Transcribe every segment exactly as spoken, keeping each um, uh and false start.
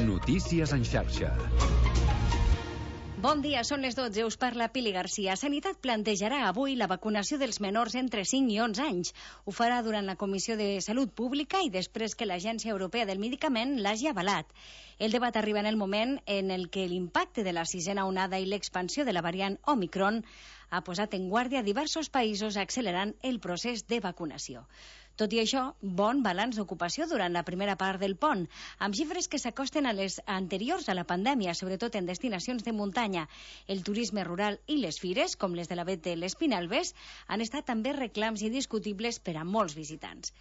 Notícies en xarxa. Bon dia, són les dotze, us parla Pili Garcia. Sanitat plantejarà avui la vacunació dels menors entre cinc i onze anys. Ho farà durant la Comissió de Salut Pública i després que l'Agència Europea del Medicament l'hagi avalat. El debat arriba en el moment en el que l'impacte de la sisena onada i l'expansió de la variant Omicron ha posat en guàrdia diversos països accelerant el procés de vacunació. Tot i això, bon balanç d'ocupació durant la primera part del pont, amb xifres que s'acosten a les anteriors a la pandèmia, sobretot en destinacions de muntanya. El turisme rural i les fires, com les de la Bet de l'Espinalbes, han estat també reclams indiscutibles per a molts visitants.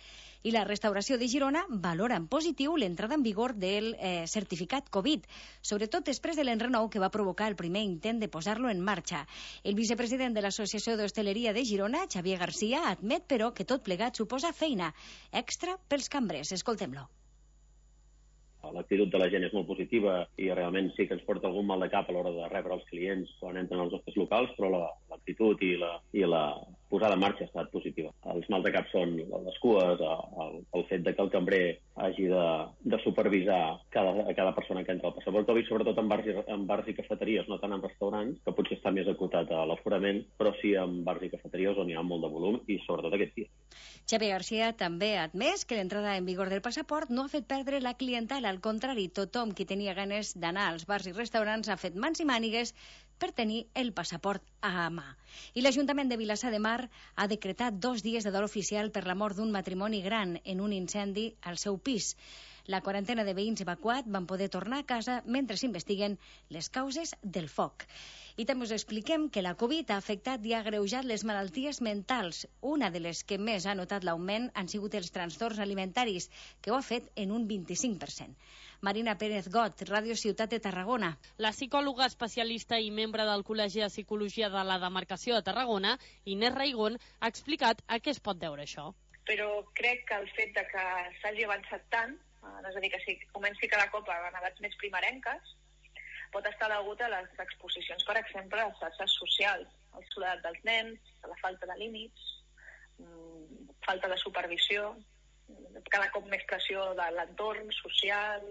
I la restauració de Girona valora en positiu l'entrada en vigor del eh, certificat Covid, sobretot després de l'enrenou que va provocar el primer intent de posar-lo en marxa. El vicepresident de l'Associació d'Hostaleria de Girona, Xavier Garcia, admet, però, que tot plegat suposa feina extra pels cambrers. Escoltem-lo. L'actitud de la gent és molt positiva i realment sí que ens porta algun mal de cap a l'hora de rebre els clients quan entren als nostres locals, però l'actitud i la, i la posada en marxa ha estat positiva. Els mal de cap són les cues, el, el fet de que el cambrer hagi de, de supervisar cada, cada persona que entra al passaport Covid, sobretot en bars, i, en bars i cafeteries, no tant en restaurants, que potser està més acotat a l'aforament, però sí en bars i cafeteries on hi ha molt de volum i sobretot aquest dia. Xavier Garcia també ha admès que l'entrada en vigor del passaport no ha fet perdre la clientela. Al contrari, tothom qui tenia ganes d'anar als bars i restaurants ha fet mans i mànigues per tenir el passaport a mà. I l'Ajuntament de Vilassar de Mar ha decretat dos dies de dol oficial per la mort d'un matrimoni gran en un incendi al seu pis. La quarantena de veïns evacuat van poder tornar a casa mentre s'investiguen les causes del foc. I també us expliquem que la Covid ha afectat i ha agreujat les malalties mentals. Una de les que més ha notat l'augment han sigut els trastorns alimentaris, que ho ha fet en un vint-i-cinc per cent. Marina Pérez Got, Ràdio Ciutat de Tarragona. La psicòloga especialista i membre del Col·legi de Psicologia de la Demarcació de Tarragona, Inés Raigón, ha explicat a què es pot deure això. Però crec que el fet de que s'hagi avançat tant, és a dir, que si comenci cada cop a edats més primerenques, pot estar degut a les exposicions, per exemple, a les xarxes socials, a la soledat dels nens, a la falta de límits, falta de supervisió, cada cop més pressió de l'entorn social,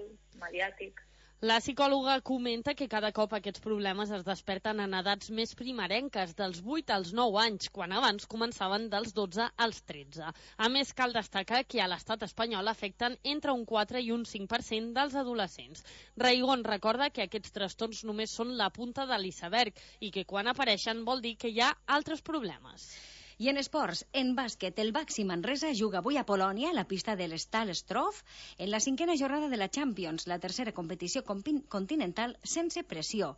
mediàtic. La psicòloga comenta que cada cop aquests problemes es desperten en edats més primerenques, dels vuit als nou anys, quan abans començaven dels dotze als tretze. A més, cal destacar que a l'estat espanyol afecten entre un quatre i un cinc per cent dels adolescents. Raigón recorda que aquests trastorns només són la punta de l'iceberg i que quan apareixen vol dir que hi ha altres problemes. I en esports, en bàsquet, el Baxi Manresa juga avui a Polònia, a la pista de l'Stal Strof, en la cinquena jornada de la Champions, la tercera competició continental sense pressió.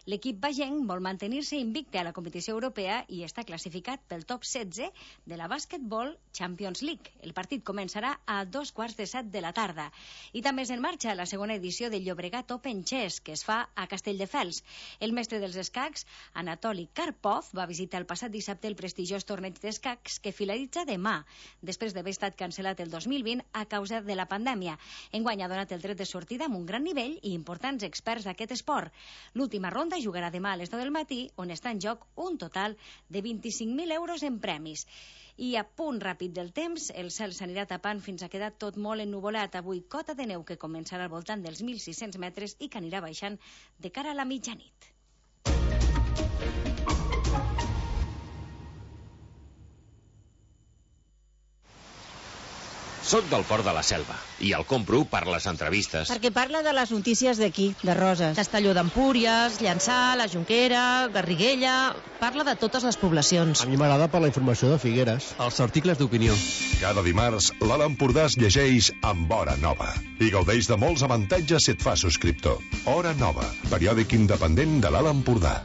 L'equip bagenc vol mantenir-se invicte a la competició europea i està classificat pel top setze de la Basketball Champions League. El partit començarà a dos quarts de set de la tarda. I també és en marxa la segona edició del Llobregat Open Chess, que es fa a Castelldefels. El mestre dels escacs, Anatoli Karpov, va visitar el passat dissabte el prestigiós torneig d'escacs que finalitza demà, després d'haver estat cancel·lat el dos mil vint a causa de la pandèmia. Enguany ha donat el tret de sortida amb un gran nivell i importants experts d'aquest esport. L'última ronda jugarà demà a les nou del matí, on està en joc un total de vint-i-cinc mil euros en premis. I a punt ràpid del temps, el cel s'anirà tapant fins a quedar tot molt ennuvolat. Avui cota de neu que començarà al voltant dels mil sis-cents metres i que anirà baixant de cara a la mitjanit. Soc del Port de la Selva i el compro per les entrevistes. Perquè parla de les notícies d'aquí, de Roses. Castelló d'Empúries, Llançà, la Jonquera, Garriguella... Parla de totes les poblacions. A mi m'agrada per la informació de Figueres. Els articles d'opinió. Cada dimarts, l'Alt Empordà es llegeix amb Hora Nova i gaudeix de molts avantatges si et fa subscriptor. Hora Nova, periòdic independent de l'Alt Empordà.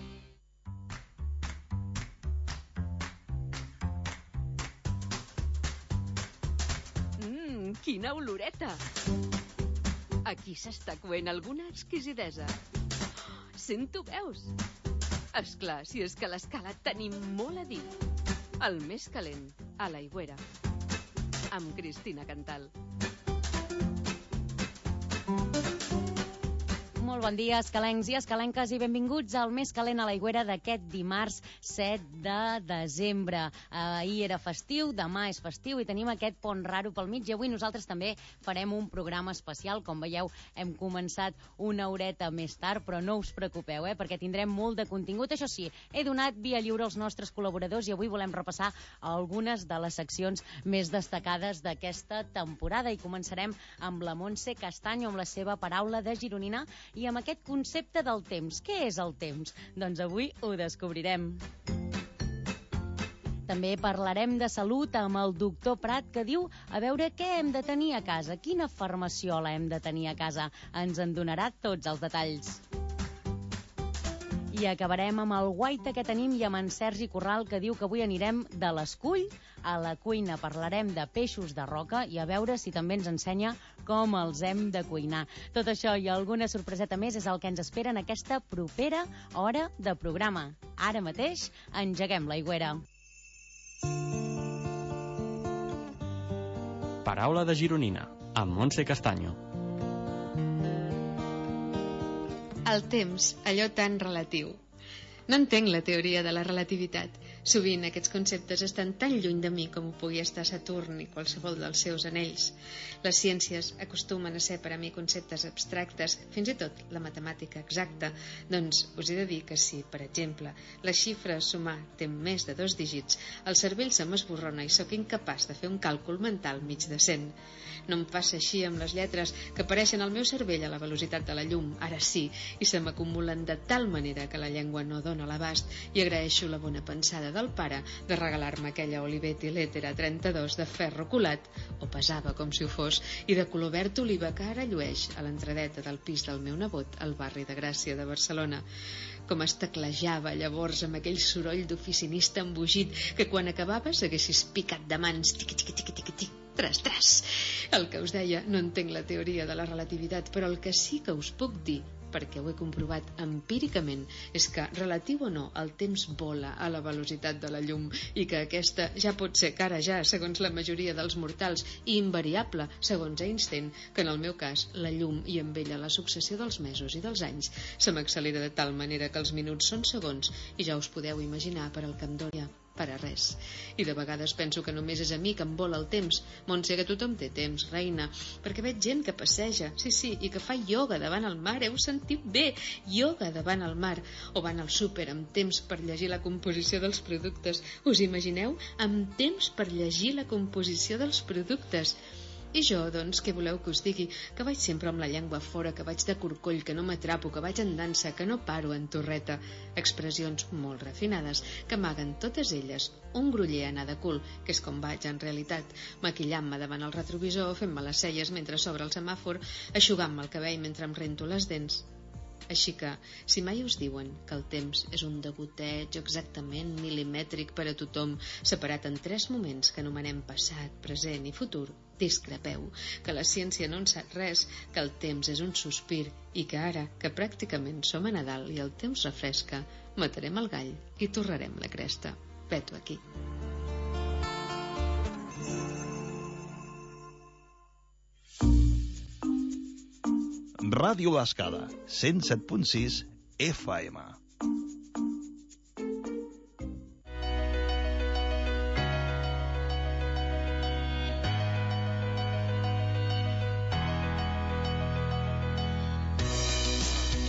Quina oloreta! Aquí s'està coent alguna exquisidesa. Sento veus! Esclar, si és que a l'Escala tenim molt a dir. El més calent, a l'Aigüera. Amb Cristina Cantal. Molt bon dia, escalencs i escalenques, i benvinguts al Més Calent a l'Aigüera d'aquest dimarts set de desembre. Ahir era festiu, demà és festiu i tenim aquest pont raro pel mig, i avui nosaltres també farem un programa especial. Com veieu, hem començat una horeta més tard, però no us preocupeu, eh, perquè tindrem molt de contingut. Això sí, he donat via lliure als nostres col·laboradors i avui volem repassar algunes de les seccions més destacades d'aquesta temporada, i començarem amb la Montse Castanyo, amb la seva paraula de gironina i amb aquest concepte del temps. Què és el temps? Doncs avui ho descobrirem. També parlarem de salut amb el doctor Prat, que diu a veure què hem de tenir a casa, quina farmaciola hem de tenir a casa. Ens en donarà tots els detalls. I acabarem amb el guaita que tenim i amb en Sergi Corral, que diu que avui anirem de l'escull a la cuina. Parlarem de peixos de roca i a veure si també ens ensenya com els hem de cuinar. Tot això i alguna sorpreseta més és el que ens espera en aquesta propera hora de programa. Ara mateix engeguem l'aigüera. Paraula de gironina, amb Montse Castanyo. El temps, allò tan relatiu. No entenc la teoria de la relativitat. Sovint aquests conceptes estan tan lluny de mi com ho pugui estar Saturn i qualsevol dels seus anells. Les ciències acostumen a ser per a mi conceptes abstractes, fins i tot la matemàtica exacta. Doncs us he de dir que si, per exemple, la xifra a sumar té més de dos dígits, el cervell se m'esborrona i sóc incapaç de fer un càlcul mental mig decent. No em passa així amb les lletres, que apareixen al meu cervell a la velocitat de la llum, ara sí, i se m'acumulen de tal manera que la llengua no dona l'abast, i agraeixo la bona pensada del pare de regalar-me aquella Olivetti Lettera trenta-dos de ferro colat, o pesava com si ho fos, i de color verd oliva que ara llueix a l'entradeta del pis del meu nebot al barri de Gràcia de Barcelona. Com es teclejava llavors amb aquell soroll d'oficinista embogit que quan acabava s'haguessis picat de mans, tiqui, tiqui, tiqui, tiqui, tiqui, tras, tras. El que us deia, no entenc la teoria de la relativitat, però el que sí que us puc dir, perquè ho he comprovat empíricament, és que, relatiu o no, el temps vola a la velocitat de la llum i que aquesta ja pot ser cara ja, segons la majoria dels mortals, i invariable, segons Einstein, que en el meu cas, la llum i amb ella la successió dels mesos i dels anys se m'accelera de tal manera que els minuts són segons i ja us podeu imaginar per al que em dóna per a res. I de vegades penso que només és a mi que em vola el temps. Montse, que tothom té temps, reina, perquè veig gent que passeja, sí, sí, i que fa ioga davant el mar, heu sentit bé, ioga davant el mar, o van al súper amb temps per llegir la composició dels productes. Us imagineu? Amb temps per llegir la composició dels productes. I jo, doncs, què voleu que us digui? Que vaig sempre amb la llengua fora, que vaig de corcoll, que no m'atrapo, que vaig en dansa, que no paro en torreta. Expressions molt refinades, que amaguen totes elles un gruller anar de cul, que és com vaig en realitat, maquillant-me davant el retrovisor, fent-me les celles mentre s'obre el semàfor, eixugant-me el cabell mentre em rento les dents. Així que, si mai us diuen que el temps és un degoteig exactament milimètric per a tothom, separat en tres moments que anomenem passat, present i futur, discrepeu, que la ciència no en sap res, que el temps és un sospir i que ara, que pràcticament som a Nadal i el temps refresca, matarem el gall i torrarem la cresta. Veto aquí. Ràdio L'Escala, cent set punt sis F M.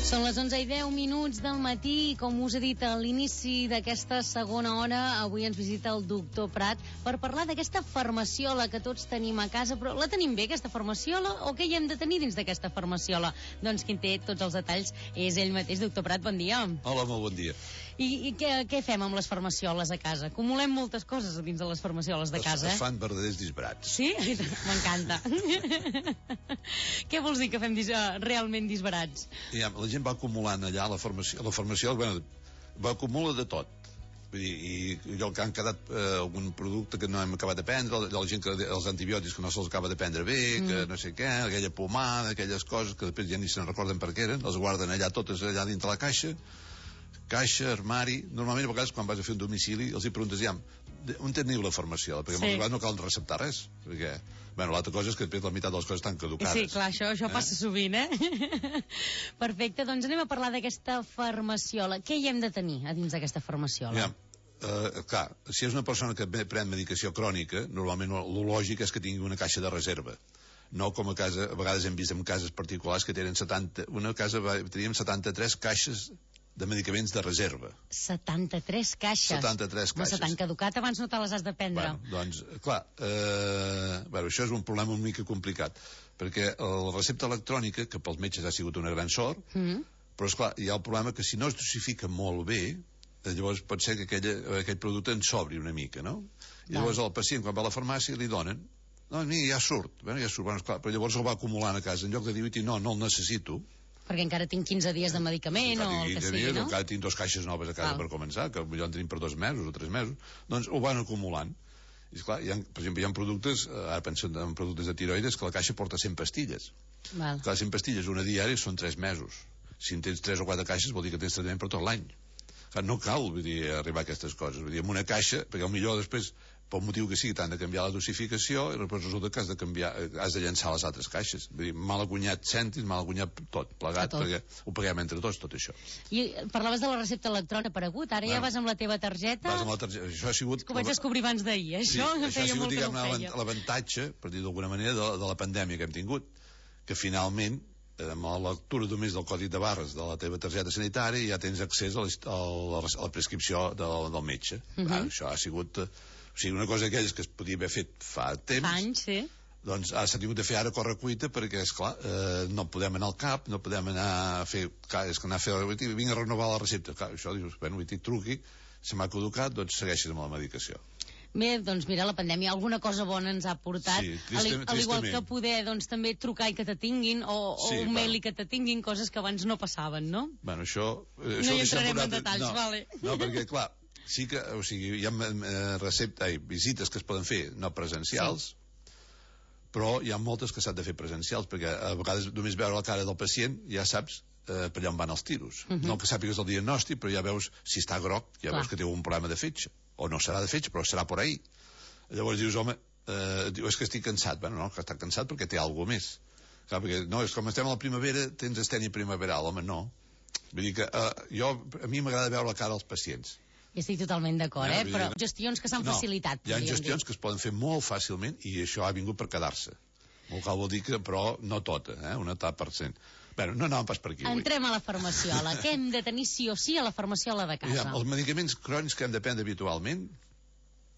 Són les onze i deu minuts del matí i, com us he dit a l'inici d'aquesta segona hora, avui ens visita el doctor Prat per parlar d'aquesta farmaciola que tots tenim a casa. Però la tenim bé, aquesta farmaciola, o què hi hem de tenir dins d'aquesta farmaciola? Doncs qui en té tots els detalls és ell mateix. Doctor Prat, bon dia. Hola, molt bon dia. I, i què, què fem amb les farmacioles a casa? Acumulem moltes coses dins de les farmacioles de casa, es, eh? Es fan verdaders disbarats. Sí? M'encanta. Què vols dir que fem dis realment disbarats? Ja, la gent va acumulant allà, la farmacia, la farmacia bueno, va acumular de tot. Vull dir, i allò que han quedat eh, algun producte que no hem acabat de prendre, la, la gent que els antibiòtics que no se'ls acaba de prendre bé, mm. que no sé què, aquella pomada, aquelles coses que després ja ni se'n recorden per què eren, les guarden allà totes allà dintre la caixa, caixa, armari. Normalment a vegades quan vas a fer un domicili els hi preguntes, ja, on teniu la formació? Perquè sí. moltes vegades no cal receptar res, perquè, bueno, l'altra cosa és que després la meitat de les coses estan caducades. Sí, clar, això, això eh? passa sovint, eh? Perfecte, doncs anem a parlar d'aquesta farmaciola. Què hi hem de tenir a dins d'aquesta farmaciola? Ja, uh, clar, si és una persona que pren medicació crònica, normalment el lògic és que tingui una caixa de reserva. No com a casa, a vegades hem vist en cases particulars que tenen setanta, una casa teníem setanta-tres caixes de medicaments de reserva. setanta-tres caixes? setanta-tres caixes. No se t'han caducat, abans no te les has de prendre. Bueno, doncs, clar, eh, bueno, això és un problema una mica complicat, perquè la recepta electrònica, que pels metges ha sigut una gran sort, mm. però, esclar, hi ha el problema que si no es dosifica molt bé, llavors pot ser que aquella, aquell producte en sobri una mica, no? I llavors el pacient, quan va a la farmàcia, li donen no, mira, ja surt, bueno, ja surt, bueno, esclar, però llavors el va acumulant a casa, en lloc de dir, no, no el necessito, perquè encara tinc quinze dies de medicament o el que sigui, dies, no? Encara tinc dos caixes noves a casa Val. per començar, que potser en tenim per dos mesos o tres mesos, doncs ho van acumulant. I esclar, hi ha, per exemple, hi ha productes, ara penso en productes de tiroides, que la caixa porta cent pastilles. Val. Clar, cent pastilles, una diària, són tres mesos. Si en tens tres o quatre caixes, vol dir que tens tractament per tot l'any. No cal, vull dir, arribar a aquestes coses. Vull dir, amb una caixa, perquè potser després pel motiu que sigui, t'han de canviar la dosificació i després resulta que has de canviar, has de llançar les altres caixes. Vull dir, mal acunyat cèntims, mal acunyat tot, plegat, tot. Perquè ho paguem entre tots, tot això. I parlaves de la recepta electrònica aparegut, ara bueno, ja vas amb la teva targeta... Vas amb la targeta, això ha sigut... És que ho vaig descobrir abans d'ahir, això, sí, això ha sigut, diguem-ne, l'avantatge, per dir d'alguna manera, de, de la pandèmia que hem tingut, que finalment, amb la lectura només del codi de barres de la teva targeta sanitària ja tens accés a la, a la, a la prescripció del, del metge. Uh -huh. ah, això ha sigut... O sigui, una cosa d'aquelles que es podia haver fet fa temps... Fa anys, sí. Doncs ara s'ha tingut de fer ara a correcuita perquè, esclar, eh, no podem anar al cap, no podem anar a fer... Clar, és que anar a fer... Vinc a renovar la recepta. Clar, això dius, bueno, vull dir, truqui, se m'ha caducat, doncs segueixes amb la medicació. Bé, doncs mira, la pandèmia alguna cosa bona ens ha portat, sí, tristament, al igual que poder doncs, també trucar i que te tinguin, o, sí, o un mail i que te tinguin, coses que abans no passaven, no? Bueno, això... Eh, no hi entrarem en detalls, no, vale. No, perquè, clar, sí que, o sigui, hi ha eh, recepta, ai, visites que es poden fer no presencials, sí. però hi ha moltes que s'han de fer presencials, perquè a vegades només veure la cara del pacient ja saps eh, per allà on van els tiros. Uh -huh. No que sàpigues el diagnòstic, però ja veus si està groc, ja Clar. veus que té un problema de fetge, o no serà de fetge, però serà por ahí. Llavors dius, home, eh, diu, és que estic cansat. Bueno, no, que està cansat perquè té alguna més. Clar, perquè, no, és com estem a la primavera, tens estènia primaveral. Home, no. Vull dir que eh, jo, a mi m'agrada veure la cara dels pacients. I estic totalment d'acord, eh? Però gestions que s'han no, facilitat. Hi ha gestions dir. que es poden fer molt fàcilment i això ha vingut per quedar-se. Molt cal vol dir que, però no tota, eh? Una etapa per cent. Bé, no anàvem pas per aquí. Entrem avui. a la farmaciola. Què hem de tenir sí o sí a la farmaciola de casa? Ja, els medicaments crònics que hem de prendre habitualment,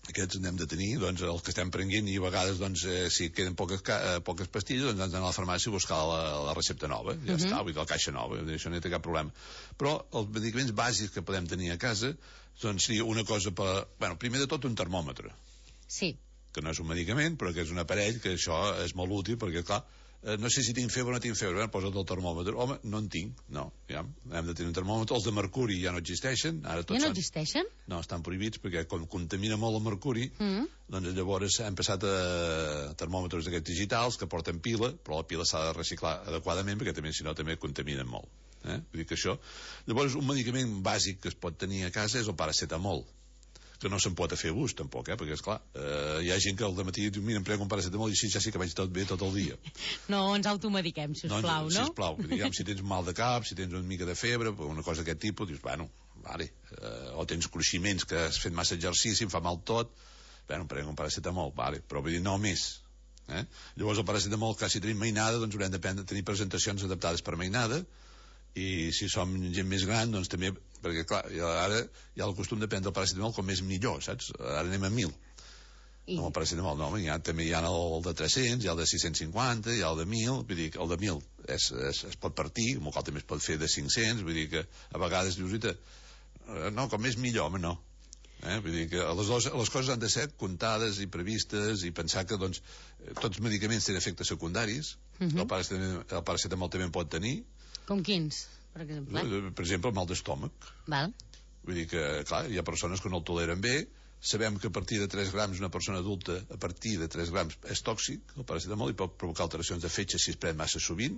aquests n'hem de tenir, doncs els que estem prenent i a vegades doncs, eh, si queden poques, eh, poques pastilles, doncs hem d'anar a la farmàcia a buscar la, la recepta nova, ja uh -huh. està, vull dir, la caixa nova, això no té cap problema. Però els medicaments bàsics que podem tenir a casa doncs seria una cosa per... Bueno, primer de tot un termòmetre. Sí. Que no és un medicament, però que és un aparell que això és molt útil perquè, clar, eh, no sé si tinc febre o no tinc febre, eh? Posa't el termòmetre. Home, no en tinc, no, ja, hem de tenir un termòmetre. Els de mercuri ja no existeixen. Ara tots ja no són... existeixen? No, estan prohibits perquè com contamina molt el mercuri, mm -hmm. doncs llavors hem passat a termòmetres d'aquests digitals que porten pila, però la pila s'ha de reciclar adequadament perquè també, si no, també contaminen molt. Eh? Vull dir que això... Llavors, un medicament bàsic que es pot tenir a casa és el paracetamol, que no se'n pot fer ús, tampoc, eh? Perquè, esclar, eh, hi ha gent que al dematí diu, mira, em prego un paracetamol i així ja sí que vaig tot bé tot el dia. No, ens automediquem, sisplau, no? no? Sisplau, diguem, si tens mal de cap, si tens una mica de febre, una cosa d'aquest tipus, dius, bueno, vale, eh, o tens cruiximents que has fet massa exercici, em fa mal tot, bueno, em prego un paracetamol, vale, però vull dir, no més. Eh? Llavors el paracetamol, clar, si tenim mainada, doncs haurem de prendre, tenir presentacions adaptades per mainada, i si som gent més gran, doncs també, perquè clar, ara hi ha el costum de prendre el paracetamol com més millor, saps? Ara anem a mil. I... No, el paracetamol no, hi ha, també hi ha el de tres-cents, hi ha el de sis-cents cinquanta, hi ha el de mil, vull dir que el de mil és, és, es pot partir, amb el qual també es pot fer de cinc-cents, vull dir que a vegades dius, no, com més millor, home, no. Eh? Vull dir que les, dos, les coses han de ser comptades i previstes i pensar que doncs, tots els medicaments tenen efectes secundaris, uh -huh. el, paracetamol, el paracetamol també en pot tenir. Com quins, per exemple? Per exemple, el mal d'estómac. Val. Vull dir que, clar, hi ha persones que no el toleren bé, sabem que a partir de tres grams una persona adulta, a partir de tres grams és tòxic, el paracetamol, i pot provocar alteracions de fetge si es pren massa sovint,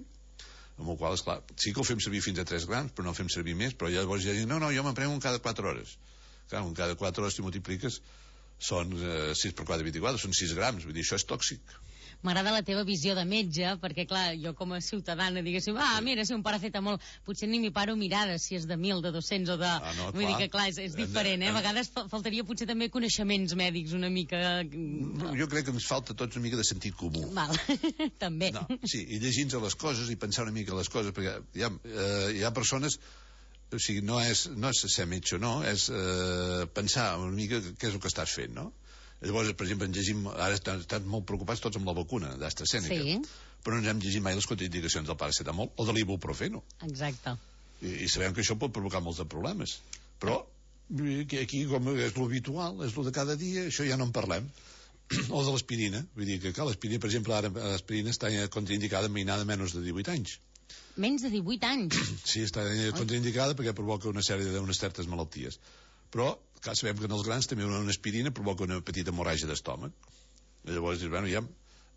amb el qual, esclar, sí que el fem servir fins a tres grams, però no el fem servir més, però llavors ja diuen, no, no, jo me'n prenc un cada quatre hores. Clar, un cada quatre hores si multipliques són eh, sis per quatre, vint-i-quatre, són sis grams, vull dir, això és tòxic. M'agrada la teva visió de metge, perquè, clar, jo com a ciutadana, diguéssim, ah, mira, si un paracetamol, potser ni m'hi paro mirar si és de mil, de dos-cents o de... Ah, no, Vull dir que, clar, és, és diferent, eh? A vegades faltaria potser també coneixements mèdics una mica... No, jo crec que ens falta tots una mica de sentit comú. Val, també. No, sí, i llegir-nos les coses i pensar una mica les coses, perquè hi ha, eh, hi ha persones... O sigui, no és, no és ser metge o no, és eh, pensar una mica què és el que estàs fent, no? Llavors, per exemple, ens llegim, ara estan, estan molt preocupats tots amb la vacuna d'AstraZeneca, sí. Però no ens hem llegit mai les contraindicacions del paracetamol o de l'ibuprofeno. Exacte. I, I sabem que això pot provocar molts de problemes. Però aquí, com és l'habitual, és el de cada dia, això ja no en parlem. O de l'aspirina. Vull dir que, clar, l'aspirina, per exemple, ara l'aspirina està contraindicada en mainada de menys de divuit anys. Menys de divuit anys? Sí, està contraindicada perquè provoca una sèrie d'unes certes malalties. Però, clar, sabem que en els grans també una aspirina provoca una petita hemorràgia d'estómac. Llavors dius, bueno, ja...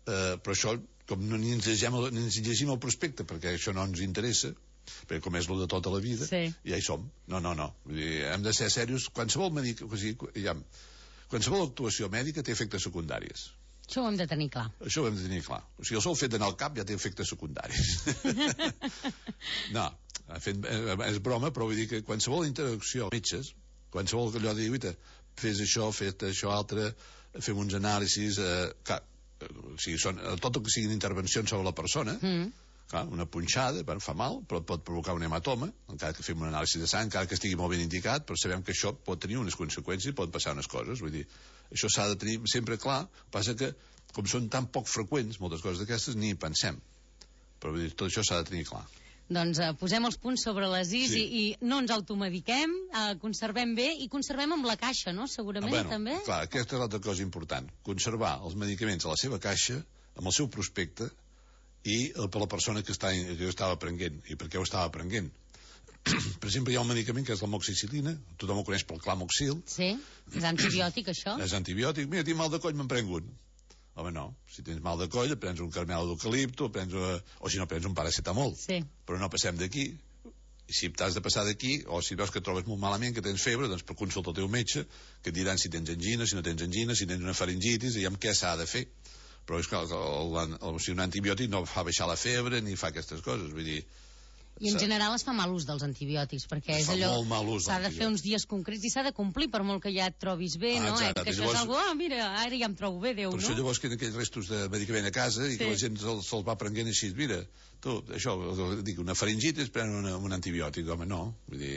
Eh, però això, com no ni ens, llegim, ni ens llegim el prospecte, perquè això no ens interessa, perquè com és el de tota la vida, sí. Ja hi som. No, no, no. Vull dir, hem de ser serios. Qualsevol mèdic, o sigui, ja, qualsevol actuació mèdica té efectes secundàries. Això ho hem de tenir clar. Això ho hem de tenir clar. O sigui, el sol fet d'anar al cap ja té efectes secundaris. No, fet, és broma, però vull dir que qualsevol interacció amb metges, qualsevol allò de dir, fes això, fes això altre, fem uns anàlisis, eh, clar, o sigui, són, tot el que siguin intervencions sobre la persona, mm. clar, una punxada, bueno, fa mal, però pot provocar un hematoma, encara que fem un anàlisi de sang, encara que estigui molt ben indicat, però sabem que això pot tenir unes conseqüències, pot passar unes coses, vull dir, això s'ha de tenir sempre clar, passa que, com són tan poc freqüents, moltes coses d'aquestes, ni hi pensem, però vull dir, tot això s'ha de tenir clar. Doncs eh, posem els punts sobre les is sí. i, i no ens automediquem, eh, conservem bé i conservem amb la caixa, no? Segurament, ah, bueno, també. Clar, aquesta és l'altra cosa important. Conservar els medicaments a la seva caixa, amb el seu prospecte i eh, per la persona que, està, que estava prenent i per què ho estava prenent. Per exemple, hi ha un medicament que és l'amoxicil·lina, tothom ho coneix pel clamoxil. Sí, és antibiòtic, això. És antibiòtic. Mira, tinc mal de coll, me'n prenc un. Home, no. Si tens mal de coll, prens un caramel d'eucalipto, prens una... o si no, prens un paracetamol. Sí. Però no passem d'aquí. Si t'has de passar d'aquí, o si veus que et trobes molt malament, que tens febre, doncs per consulta el teu metge, que et diran si tens angina, si no tens angina, si tens una faringitis, i amb què s'ha de fer. Però és que el, el, el, el, si un antibiòtic no fa baixar la febre ni fa aquestes coses, vull dir... I en general es fa mal ús dels antibiòtics, perquè és allò... S'ha de fer uns dies concrets i s'ha de complir, per molt que ja et trobis bé, ah, no? Eh? Que això llavors... és algo, ah, mira, ara ja em trobo bé, Déu, per no? Per això llavors queden aquells restos de medicament a casa i sí. Que la gent se'ls se va prenent així, mira, tu, això, dic, una faringitis, pren una, un antibiòtic, home, no. Vull dir,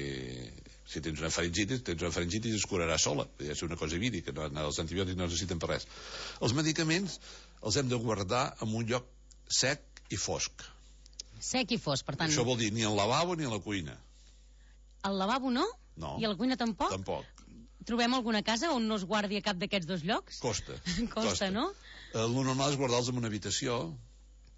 si tens una faringitis, tens una faringitis i es curarà sola. Vull dir, és una cosa vírica, no, els antibiòtics no necessiten per res. Els medicaments els hem de guardar en un lloc sec i fosc. Sec i fosc, per tant... Això vol dir ni al lavabo ni a la cuina. Al lavabo no? No. I a la cuina tampoc? Tampoc. Trobem alguna casa on no es guardi a cap d'aquests dos llocs? Costa. Costa, Costa. No? Eh, el normal és guardar-los en una habitació,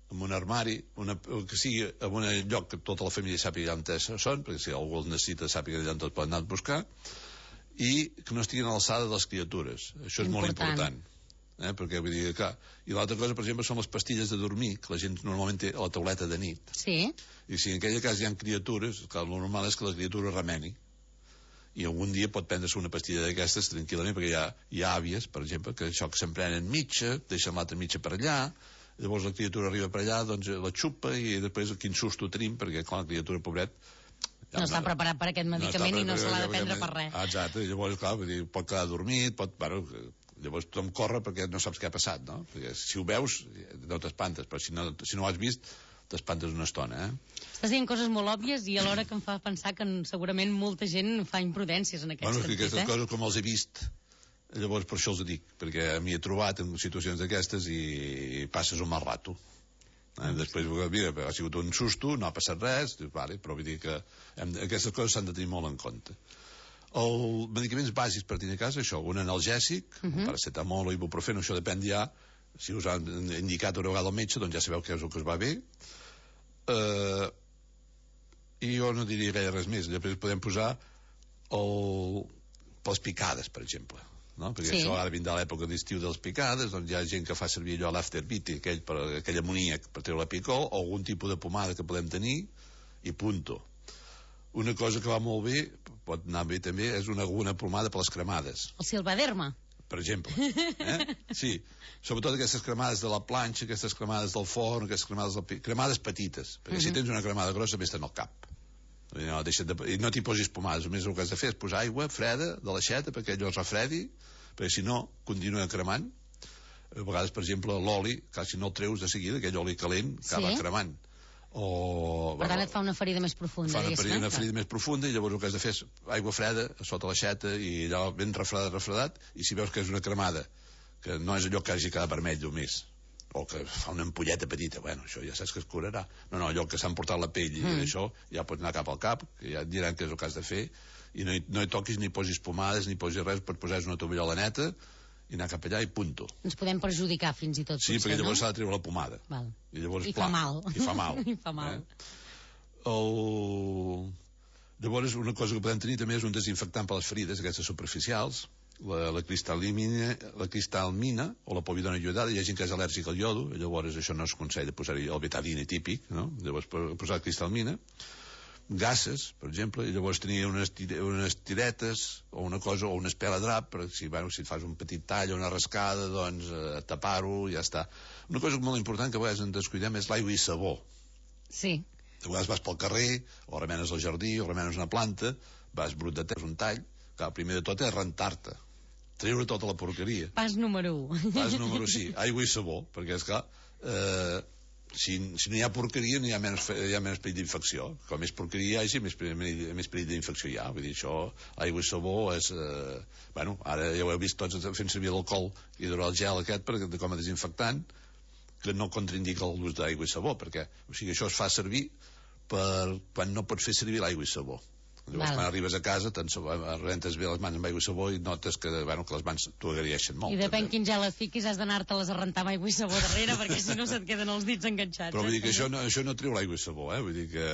en un armari, una, que sigui en un lloc que tota la família sàpiga on són, perquè si algú els necessita sàpiga allà on tots poden anar a buscar, i que no estiguin a l'alçada de les criatures. Això és important. Molt important. Eh, perquè vull dir, clar, i l'altra cosa, per exemple, són les pastilles de dormir, que la gent normalment té a la tauleta de nit. Sí. I si en aquella cas hi ha criatures, clar, el normal és que la criatura remeni. I algun dia pot prendre-se una pastilla d'aquestes tranquil·lament, perquè hi ha, hi ha àvies, per exemple, que això que se'n prenen mitja, deixen l'altra mitja per allà, llavors la criatura arriba per allà, doncs la xupa, i després quin susto tenim, perquè, clar, la criatura, pobret, ja no està preparat per aquest medicament no i no se l'ha de prendre per res. Exacte, i llavors, clar, vull dir, pot quedar dormit, pot... Bueno, llavors tothom corre perquè no saps què ha passat, no? Perquè si ho veus, no t'espantes, però si no, si no ho has vist, t'espantes una estona, eh? Estàs dient coses molt òbvies i alhora que em fa pensar que segurament molta gent fa imprudències en aquest bueno, sentit, aquestes eh? coses com els he vist, llavors per això els dic, perquè m'hi he trobat en situacions d'aquestes i passes un mal rato. Eh? Després, mira, ha sigut un susto, no ha passat res, vale, però vull dir que hem, aquestes coses s'han de tenir molt en compte. Els medicaments bàsics per tenir a casa, això, un analgèsic, uh -huh. paracetamol o ibuprofeno, això depèn ja, si us han indicat una vegada el metge, doncs ja sabeu què és el que us va bé. Uh, I jo no diria gaire res més. Després podem posar el... pels picades, per exemple. No? Perquè sí. Això ara vindrà l'època d'estiu dels picades, doncs hi ha gent que fa servir allò l'afterbite, aquell, per, aquell amoníac per treure la picor, o algun tipus de pomada que podem tenir, i punto. Una cosa que va molt bé, pot anar bé també, és una, una pomada per les cremades. El Silvaderma. per exemple. Eh? Sí, sobretot aquestes cremades de la planxa, aquestes cremades del forn, aquestes cremades, del... cremades petites, perquè uh-huh. si tens una cremada grossa vés-te'n al cap. No, de... I no t'hi posis pomades, només el que has de fer és posar aigua freda de l'aixeta perquè allò es refredi, perquè si no continua cremant. A vegades, per exemple, l'oli, que si no el treus de seguida, aquell oli calent acaba sí. cremant. O, per tant et fa una ferida més profunda, fa una ferida, una ferida més profunda, i llavors el que has de fer és aigua freda sota l'aixeta i allò ben refredat, refredat, i si veus que és una cremada que no és allò que hagi quedat vermell només, o que fa una ampolleta petita, bueno, això ja saps que es curarà. No, no, allò que s'ha emportat la pell i mm. això ja pots anar cap al cap, que ja et diran què és el que has de fer, i no hi, no hi toquis ni posis pomades ni posis res, pots posar una tovallola neta i anar cap allà i punto. Ens podem perjudicar fins i tot, sí, potser, perquè llavors no? s'ha de treure la pomada. Val. I llavors, I fa pla, mal. I fa mal. I fa mal. Eh? El... Llavors, una cosa que podem tenir també és un desinfectant per les ferides, aquestes superficials, la, la, cristal·limina, la cristalmina o la povidona iodada. Hi ha gent que és al·lèrgic al iodo, llavors això no es aconsella posar-hi el betadine típic, no? Llavors posar cristalmina. Gases, per exemple, i llavors tenia unes, tire, unes tiretes o una cosa, o una espela drap, per si, bueno, si et fas un petit tall o una rascada, doncs eh, tapar-ho, ja està. Una cosa molt important que a vegades en descuidem és l'aigua i sabó. Sí. A vegades vas pel carrer, o remenes al jardí, o remenes una planta, vas brut de terra, un tall, que el primer de tot és rentar-te, treure tota la porqueria. Pas número un. Pas número sí, aigua i sabó, perquè és clar, eh, Si, si no hi ha porqueria no hi ha menys, hi ha menys perill d'infecció. Com més porqueria hi hagi, més, més perill d'infecció hi ha. Vull dir, això, aigua i sabó és... Eh, bueno, ara ja ho heu vist tots fent servir l'alcohol hidrogel aquest per, com a desinfectant, que no contraindica l'ús d'aigua i sabó, perquè o sigui, això es fa servir per quan no pots fer servir l'aigua i sabó. Llavors, quan arribes a casa, rentes bé les mans amb aigua i sabó i notes que, bueno, que les mans t'ho agraeixen molt. I depèn quin gel et fiquis, has d'anar-te-les a rentar amb aigua i sabó darrere, perquè si no se't queden els dits enganxats. Però vull dir eh? que això no, això no treu l'aigua i sabó, eh? Vull dir que...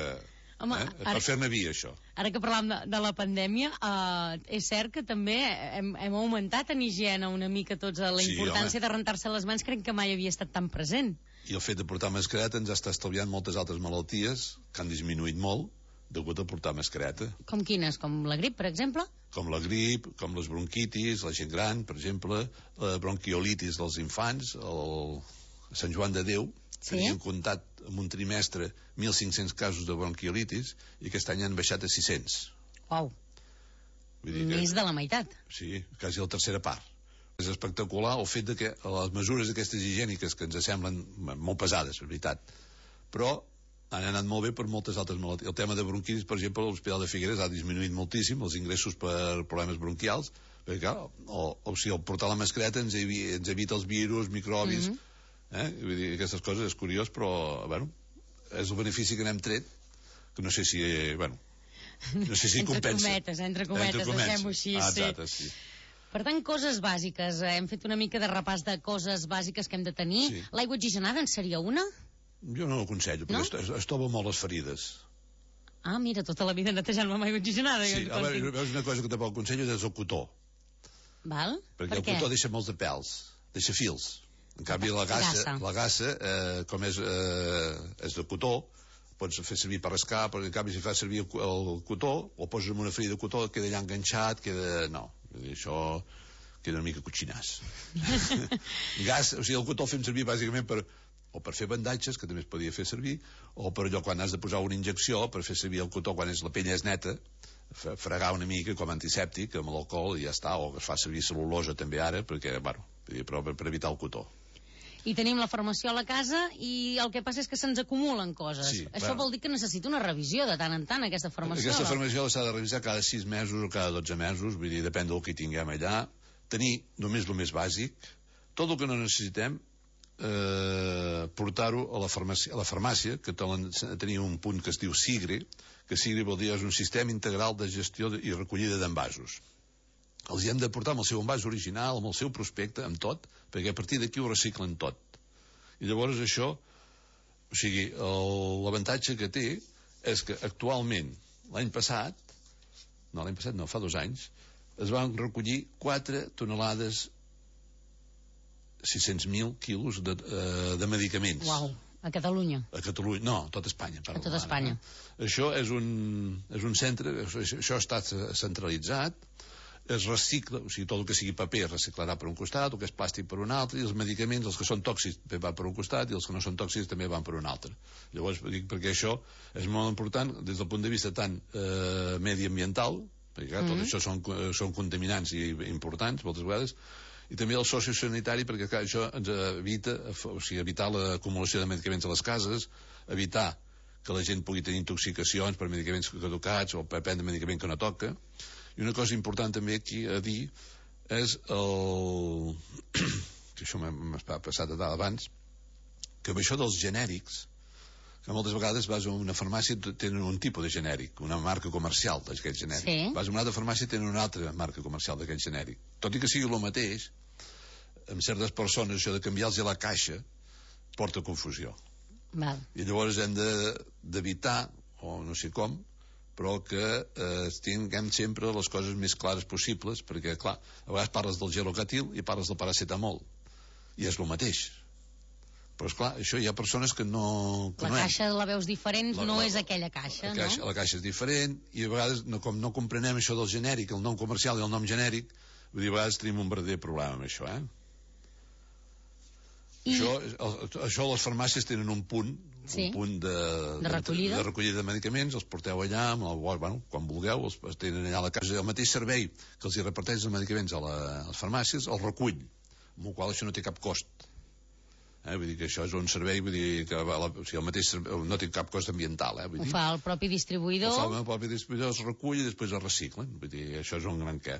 Home, eh? ara, per fer-ne vi, això. Ara que parlàvem de, de la pandèmia, eh, és cert que també hem, hem augmentat en higiene una mica tots la Sí, importància home. de rentar-se les mans, crec que mai havia estat tan present. I el fet de portar mascareta ens està estalviant moltes altres malalties que han disminuït molt degut a portar mascareta. Com quines? Com la grip, per exemple? Com la grip, com les bronquitis, la gent gran, per exemple, la bronquiolitis dels infants, el Sant Joan de Déu, sí? Tenien comptat en un trimestre mil cinc-cents casos de bronquiolitis i aquest any han baixat a sis-cents. Uau, més de la meitat. Sí, quasi la tercera part. És espectacular el fet de que les mesures aquestes higièniques que ens semblen molt pesades, és veritat, però han anat molt bé per moltes altres malalties. El tema de bronquitis, per exemple, a l'Hospital de Figueres ha disminuït moltíssim els ingressos per problemes bronquials, perquè clar, o, o sigui, el portar la mascareta ens, evi, ens evita els virus, microbis, mm-hmm. eh? Vull dir, aquestes coses és curiós, però, bueno, és el benefici que n'hem tret, que no sé si, eh, bueno, no sé si entre compensa. Cometes, entre cometes, entre cometes, deixem-ho així. Ah, exacte, sí. Per tant, coses bàsiques. Hem fet una mica de repàs de coses bàsiques que hem de tenir. Sí. L'aigua oxigenada en seria una? Jo no ho aconsello, perquè no? es, es tova molt les ferides. Ah, mira, tota la vida netejant-me amb aigua oxigenada. Sí, a veure, veus una cosa que tampoc aconsello és el cotó. Val? Perquè per el cotó deixa molts de pèls, deixa fils. En canvi, la gassa, la gassa eh, com és, eh, és de cotó, pots fer servir per rascar, però en canvi si fas servir el, el cotó, o poses en una ferida de cotó, queda allà enganxat, queda... No, això queda una mica cotxinàs. Gas, o sigui, el cotó el fem servir bàsicament per, o per fer bandatges, que també es podia fer servir, o per allò quan has de posar una injecció, per fer servir el cotó quan és, la pell és neta, fregar una mica com a antisèptic amb l'alcohol i ja està, o que es fa servir cel·lulosa també ara, perquè, bueno, però per, per evitar el cotó. I tenim la formació a la casa i el que passa és que se'ns acumulen coses. Sí, Això bueno. vol dir que necessita una revisió de tant en tant, aquesta formació. Aquesta formació s'ha de revisar cada sis mesos o cada dotze mesos, vull dir, depèn del que tinguem allà. Tenir només el més bàsic, tot el que no necessitem, eh, portar-ho a la farmàcia, a la farmàcia que tenia un punt que es diu SIGRE, que SIGRE vol dir és un sistema integral de gestió i recollida d'envasos. Els hi hem de portar amb el seu envàs original, amb el seu prospecte, amb tot, perquè a partir d'aquí ho reciclen tot. I llavors això, o sigui, l'avantatge que té és que actualment, l'any passat, no, l'any passat no, fa dos anys, es van recollir quatre tonelades, sis-cents mil quilos de, uh, de medicaments. Uau, a Catalunya? A Catalunya, no, a tot Espanya. A tot Espanya. Això és un, és un centre, això, això està centralitzat, es recicla, o sigui, tot el que sigui paper es reciclarà per un costat, el que és plàstic per un altre, i els medicaments, els que són tòxics, també van per un costat, i els que no són tòxics també van per un altre. Llavors, dic, perquè això és molt important des del punt de vista tant eh, mediambiental, perquè clar, tot mm-hmm. això són, són contaminants i importants, moltes vegades, i també el sociosanitari, perquè clar, això ens evita, o sigui, evitar l'acumulació de medicaments a les cases, evitar que la gent pugui tenir intoxicacions per medicaments caducats o per prendre medicament que no toca. I una cosa important també aquí a dir és el... que això m'ha passat a dalt abans, que amb això dels genèrics, que moltes vegades vas a una farmàcia i tenen un tipus de genèric, una marca comercial d'aquest genèric. Sí. Vas a una altra farmàcia i tenen una altra marca comercial d'aquest genèric. Tot i que sigui el mateix, amb certes persones això de canviar-los a la caixa porta confusió. Val. I llavors hem d'evitar, o no sé com, però que eh, tinguem sempre les coses més clares possibles, perquè, clar, a vegades parles del gelocatil i parles del paracetamol, i és el mateix. Però, esclar, això hi ha persones que no... La caixa la veus diferent, la, no la, és aquella caixa, la caixa, no? La caixa és diferent, i a vegades, no, com no comprenem això del genèric, el nom comercial i el nom genèric, vull dir, a vegades tenim un verdader problema amb això, eh? I... Això, el, això les farmàcies tenen un punt, sí. un punt de, de, recollida. de, de recollida de medicaments, els porteu allà, amb el, bueno, quan vulgueu, els, els tenen allà a la casa. El mateix servei que els hi reparteix els medicaments a, la, a les farmàcies, el recull, amb el qual això no té cap cost. Eh? Vull dir que això és un servei, vull dir que la, o sigui, el mateix servei, no té cap cost ambiental. Eh? Vull ho dir, fa el propi distribuïdor. Ho fa el propi distribuïdor, es recull i després es reciclen. Vull dir, això és un gran què.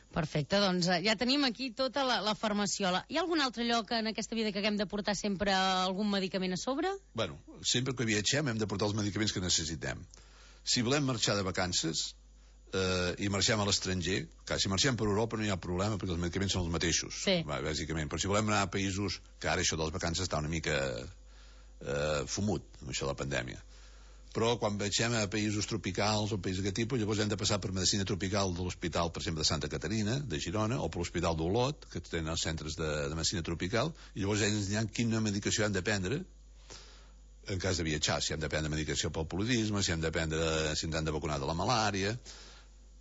Perfecte, doncs ja tenim aquí tota la, la farmaciola. Hi ha algun altre lloc en aquesta vida que haguem de portar sempre algun medicament a sobre? Bueno, sempre que viatgem hem de portar els medicaments que necessitem. Si volem marxar de vacances eh, i marxem a l'estranger, si marxem per Europa no hi ha problema perquè els medicaments són els mateixos, sí. va, bàsicament. Però si volem anar a països, que ara això de les vacances està una mica eh, fumut, amb això de la pandèmia. Però quan viatgem a països tropicals o països d'aquest tipus, llavors hem de passar per medicina tropical de l'hospital, per exemple, de Santa Caterina, de Girona, o per l'hospital d'Olot, que tenen els centres de, de medicina tropical, i llavors ells ens diran quina medicació hem de prendre en cas de viatjar, si hem de prendre medicació pel paludisme, si hem de prendre, si ens han de vacunar de la malària.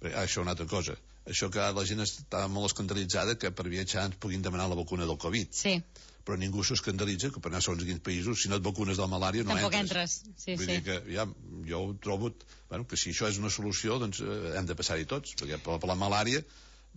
Ah, això és una altra cosa. Això que la gent està molt escandalitzada que per viatjar ens puguin demanar la vacuna del Covid. Sí. Però ningú s'escandalitza que per anar a segons quins països, si no et vacunes de la malària no tampoc entres. entres. Sí, Vull sí. dir que ja, jo ho trobo, bueno, que si això és una solució, doncs eh, hem de passar-hi tots, perquè per, per la malària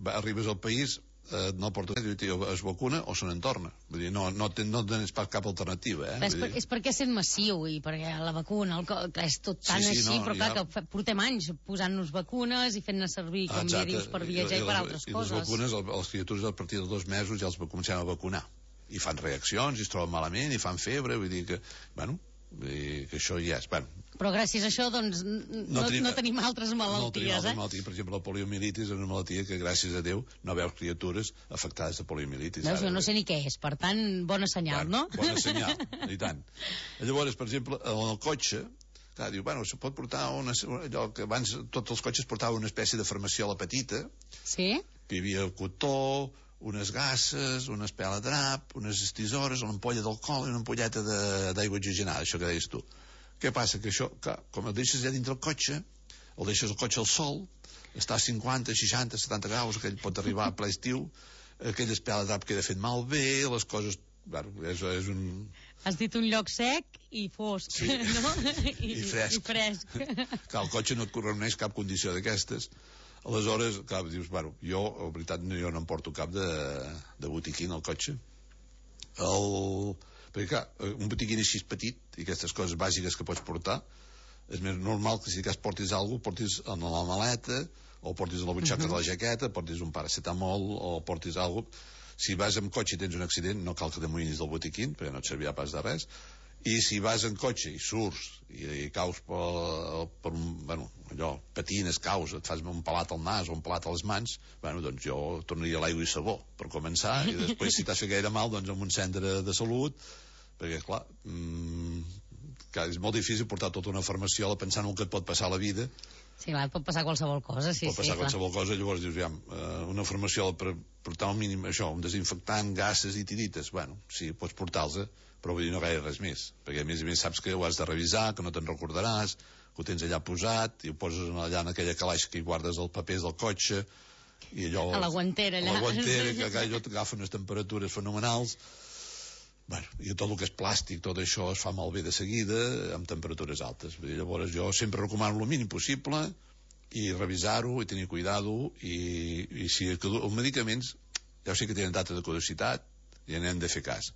va, arribes al país, eh, no porta res, es vacuna o se n'en torna. Vull dir, no, no, ten, no tens cap alternativa. Eh? És, per, és perquè és sent massiu i perquè la vacuna, el, que és tot tan sí, sí, així, no, però clar, ja... que portem anys posant-nos vacunes i fent-ne servir, com ja dius, per viatjar i, i, i per altres i coses. I les vacunes, els criatures a partir dels dos mesos ja els comencem a vacunar. I fan reaccions, i es troben malament, i fan febre, vull dir que, bueno, vull dir que això ja és, bueno. Però gràcies a això, doncs, no, no, tenim, no tenim altres malalties, no tenim altres eh? Malalties. Per exemple, la poliomielitis és una malaltia que, gràcies a Déu, no veus criatures afectades de poliomielitis. Veus, jo no sé ni què és, per tant, bona senyal, bueno, no? Bona senyal, i tant. Llavors, per exemple, en el cotxe, clar, diu, bueno, se pot portar una, allò que abans tots els cotxes portaven una espècie de farmaciola petita, sí? Que hi havia cotó, unes gasses, una espela de drap, unes tisores, una ampolla d'alcohol i una ampolleta d'aigua oxigenada, això que deies tu. Què passa? Que això, clar, com el deixes ja dintre el cotxe, el deixes el cotxe al sol, està a cinquanta, seixanta, setanta graus, aquell pot arribar a ple estiu, aquella espela de drap queda fet malbé, les coses... Bueno, és, és un... Has dit un lloc sec i fosc, sí. no? I, I fresc. I fresc. Clar, el cotxe no et reuneix cap condició d'aquestes. Aleshores, clar, dius, bueno, jo, en veritat, jo no em porto cap de, de botiquín al cotxe. El... Perquè, clar, un botiquín així petit, i aquestes coses bàsiques que pots portar, és més normal que si cas portis alguna cosa, portis en la maleta, o portis a la butxaca uh -huh. de la jaqueta, portis un paracetamol, o portis alguna cosa. Si vas amb cotxe i tens un accident, no cal que t'amoïnis del botiquín, perquè no et servirà pas de res. I si vas en cotxe i surts i, i caus per, per un, bueno, allò, patines, caus, et fas un pelat al nas o un pelat a les mans, bueno, doncs jo tornaria a l'aigua i sabó, per començar, i després si t'has fet gaire mal, doncs en un centre de salut, perquè, clar, mmm, clar, és molt difícil portar tota una farmaciola pensant en el que et pot passar a la vida. Sí, clar, pot passar qualsevol cosa, sí, pot passar sí, qualsevol clar. cosa, llavors dius, ja, una farmaciola per portar un mínim, això, un desinfectant, gases i tirites, bueno, sí, pots portar-los, però vull dir, no gaire res més, perquè a més a més saps que ho has de revisar, que no te'n recordaràs, que ho tens allà posat, i ho poses allà en aquella calaix que hi guardes els papers del cotxe, I allò, a la guantera, allà. A la guantera, que allò t'agafa unes temperatures fenomenals. Bueno, i tot el que és plàstic, tot això es fa malbé de seguida amb temperatures altes. Llavors jo sempre recomano el mínim possible i revisar-ho i tenir cuidado i, i si els medicaments ja sé que tenen data de caducitat i n'hem de fer cas.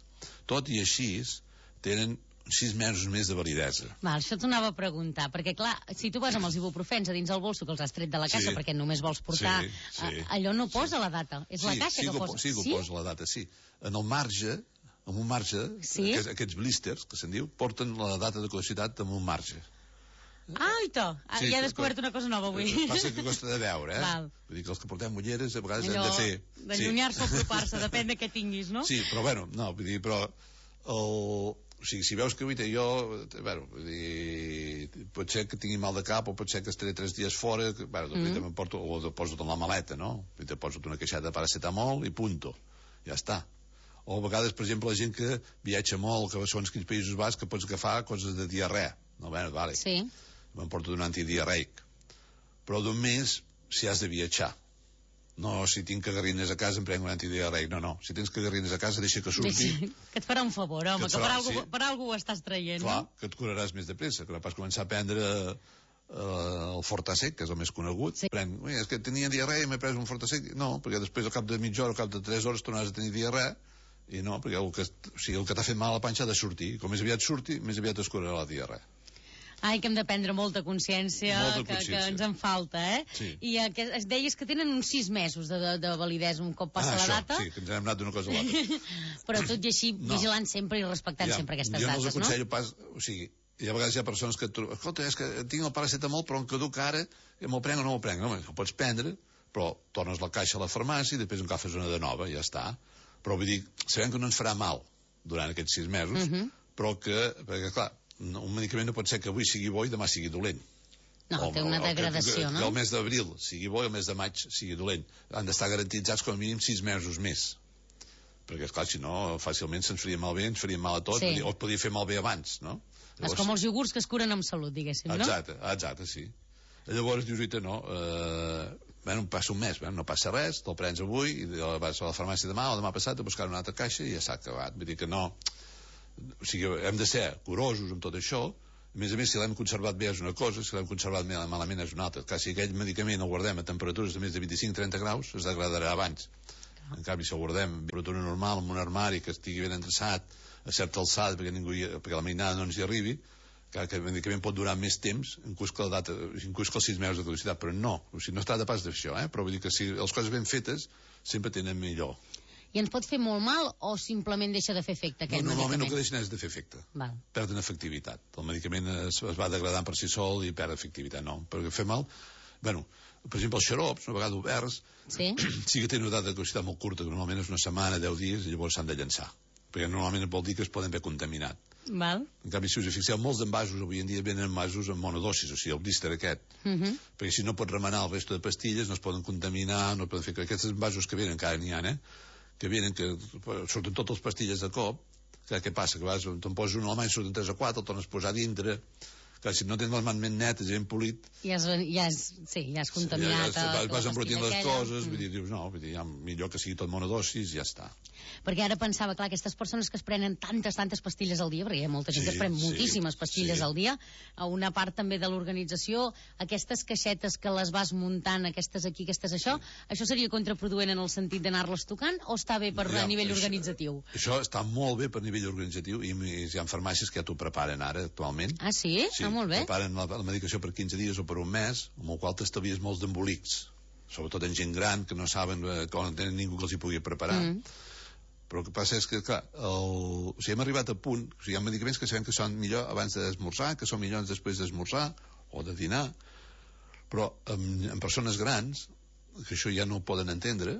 Tot i així tenen sis mesos més de validesa. Val, això t'ho anava a preguntar, perquè clar, si tu vas amb els ibuprofens a dins el bolso que els has tret de la caixa sí. perquè només vols portar, sí, sí. allò no posa sí. la data, és sí, la caixa sí que posa. Sí, que ho posa la data, sí. En el marge, en un marge, sí? aquests, aquests blisters, que se'n diu, porten la data de caducitat en un marge. Ah, i to, sí, ja he descobert una cosa nova avui. Passa que costa de veure, eh? Val. Vull dir que els que portem ulleres a vegades allò, hem de fer... d'allunyar-se sí. o apropar-se, depèn de què tinguis, no? Sí, però bueno, no, vull dir, però... El... O sigui, si veus que avui jo, bueno, vull dir, pot ser que tingui mal de cap o pot ser que estaré tres dies fora, que, bueno, doncs, mm. me'n porto, o poso-te en la maleta, no? Te poso una queixada de paracetamol i punto, ja està. O a vegades, per exemple, la gent que viatja molt, que són quins països vas, que pots agafar coses de diarrea. No, bueno, vale. Sí. Me'n porto un antidiarreic. Però només si has de viatjar. No, si tinc cagarrines a casa em prenc un antidiarreic. No, no. Si tens cagarrines a casa, deixa que surti. Deixa, que et farà un favor, home, que, que per, algú, sí. per algú ho estàs traient. Clar, no? que et curaràs més de pressa, que no pas començar a prendre uh, el Fortasec, que és el més conegut. Sí. Prenc, ui, és que tenia diarrea i m'he pres un Fortasec. No, perquè després al cap de mitja hora, al cap de tres hores tornaràs a tenir diarrea, i no, perquè el que, o sigui, el que t'ha fet mal a la panxa ha de sortir. Com més aviat surti, més aviat es curarà la diarrea. Ai, que hem de prendre molta consciència, molta que, consciència. que ens en falta, eh? Sí. I eh, que es deies que tenen uns sis mesos de, de, de validesa un cop passa ah, la això, data. Sí, que ens hem anat d'una cosa a l'altra. Però tot i així, no. vigilant sempre i respectant ja, sempre aquestes dates, no? Jo no els aconsello pas... O sigui, hi ha vegades hi ha persones que... Escolta, és que tinc el paracetamol, però em caduc ara, me'l prenc o no me'l prenc. No, el pots prendre, però tornes la caixa a la farmàcia i després en agafes una de nova, ja està. Però vull dir, sabem que no ens farà mal durant aquests sis mesos, uh -huh. però que, perquè clar, un medicament no pot ser que avui sigui bo i demà sigui dolent. No, o, té una degradació, que, que, no? Que el mes d'abril sigui bo i el mes de maig sigui dolent. Han d'estar garantitzats com a mínim sis mesos més. Perquè, esclar, si no, fàcilment se'ns faria malbé, ens faria mal a tots, sí. o es podia fer malbé abans, no? Llavors... És com els iogurts que es curen amb salut, diguéssim, no? Exacte, exacte, sí. Llavors dius, oita, no, eh, bueno, passa un mes, bueno, no passa res, te'l prens avui, i vas a la farmàcia demà o demà passat a buscar una altra caixa i ja s'ha acabat. Vull dir que no... O sigui, hem de ser curosos amb tot això. A més a més, si l'hem conservat bé és una cosa, si l'hem conservat malament és una altra. Clar, si aquell medicament el guardem a temperatures de més de vint-i-cinc a trenta graus, es degradarà abans. En canvi, si el guardem a temperatura normal, en un armari que estigui ben endreçat, a certa alçada, perquè, ningú hi, perquè la mainada no ens hi arribi, que el medicament pot durar més temps, inclús que, la data, inclús que els sis mesos de caducitat, però no. O sigui, no es tracta pas d'això, eh? Però vull dir que si les coses ben fetes sempre tenen millor. I ens pot fer molt mal o simplement deixa de fer efecte aquest no, normalment medicament? el que deixen és de fer efecte. Val. Perden efectivitat. El medicament es, es va degradant per si sol i perd efectivitat. No, perquè fer mal... Bueno, per exemple, els xarops, una vegada oberts, sí, sí que tenen una data de caducitat molt curta, que normalment és una setmana, deu dies, i llavors s'han de llançar. Perquè normalment vol dir que es poden haver contaminat. Val. En canvi, si us fixeu, molts envasos avui en dia venen envasos amb monodosis, o sigui, el blister aquest. Uh -huh. Perquè si no pots remenar el resto de pastilles, no es poden contaminar, no poden fer... Aquests envasos que venen, encara n'hi ha, eh? que venen, que surten totes les pastilles de cop, que què passa? Que vas, te'n poses una a la mà i surten tres o quatre, el tornes a posar dintre, que si no tens les mans ben netes i ben polit... Ja has, ja has, sí, ja has contaminat... Ja, ja, vas vas embrutint les aquella. coses, mm. vull dir, dius, no, vull dir, ja, millor que sigui tot monodosis i ja està. Perquè ara pensava, clar, aquestes persones que es prenen tantes, tantes pastilles al dia, perquè hi ha molta gent sí, que es pren moltíssimes sí, pastilles sí. al dia, a una part també de l'organització, aquestes caixetes que les vas muntant, aquestes aquí, aquestes això, sí. això seria contraproduent en el sentit d'anar-les tocant o està bé per ja, a nivell això, organitzatiu? Això està molt bé per nivell organitzatiu i hi ha farmàcies que ja t'ho preparen ara, actualment. Ah, sí? Sí, ah, molt bé. preparen la, la medicació per quinze dies o per un mes, amb el qual t'estalvies molts d'embolics, sobretot en gent gran que no saben, eh, que no tenen ningú que els hi pugui preparar. Mm. Però el que passa és que, clar, el... o sigui, hem arribat a punt, o sigui, hi ha medicaments que sabem que són millor abans d'esmorzar, que són millors després d'esmorzar o de dinar, però en, en persones grans, que això ja no ho poden entendre,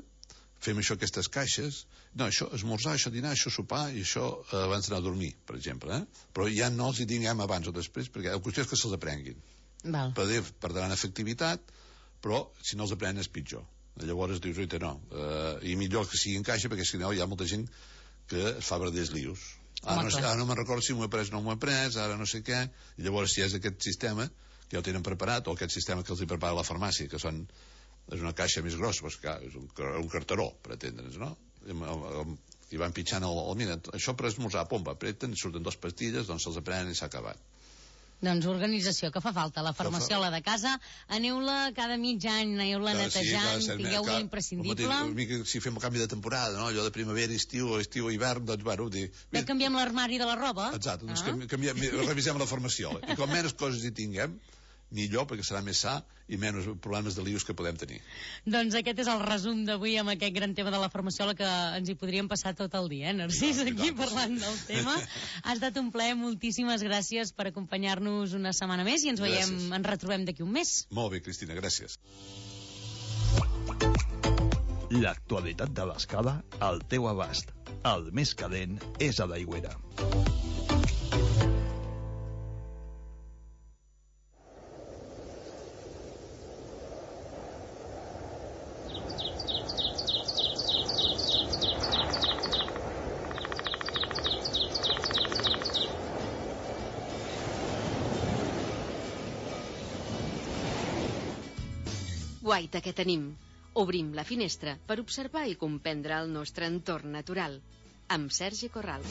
fem això, aquestes caixes, no, això esmorzar, això dinar, això sopar i això eh, abans d'anar a dormir, per exemple, eh? Però ja no els hi diguem abans o després, perquè la qüestió és que se'ls aprenguin. Val. Perdran efectivitat, però si no els aprenen és pitjor. Llavors dius, oita, no, uh, i millor que sigui en caixa, perquè si no hi ha molta gent que es fa verders lius. Ara no, ara no me'n recordo si m'ho he pres o no m'ho he pres, ara no sé què, i llavors si és aquest sistema que ja ho tenen preparat, o aquest sistema que els hi prepara la farmàcia, que són és una caixa més grossa, doncs, clar, és un, un carteró, per atendre'ns, no? I van pitjant el, el mira, això per esmorzar, pom, apreten, surten dos pastilles, doncs se'ls aprenen i s'ha acabat. Doncs organització que fa falta. La farmaciola de casa, aneu-la cada mig any, aneu-la netejant, sí, tingueu-la imprescindible. Mica, si fem el canvi de temporada, no? Allò de primavera, estiu, estiu, hivern, doncs, bueno, dir... Ja canviem l'armari de la roba. Exacte, doncs ah. canviem, revisem la farmaciola. I com menys coses hi tinguem, millor, perquè serà més sa i menys problemes de lius que podem tenir. Doncs aquest és el resum d'avui amb aquest gran tema de la farmaciola que ens hi podríem passar tot el dia, eh, Narcís, aquí parlant del tema. Ha estat un plaer, moltíssimes gràcies per acompanyar-nos una setmana més i ens veiem, ens retrobem d'aquí un mes. Molt bé, Cristina, gràcies. L'actualitat de l'escala al teu abast. El més calent és a l'Aigüera. Guaita que tenim. Obrim la finestra per observar i comprendre el nostre entorn natural. Amb Sergi Corral.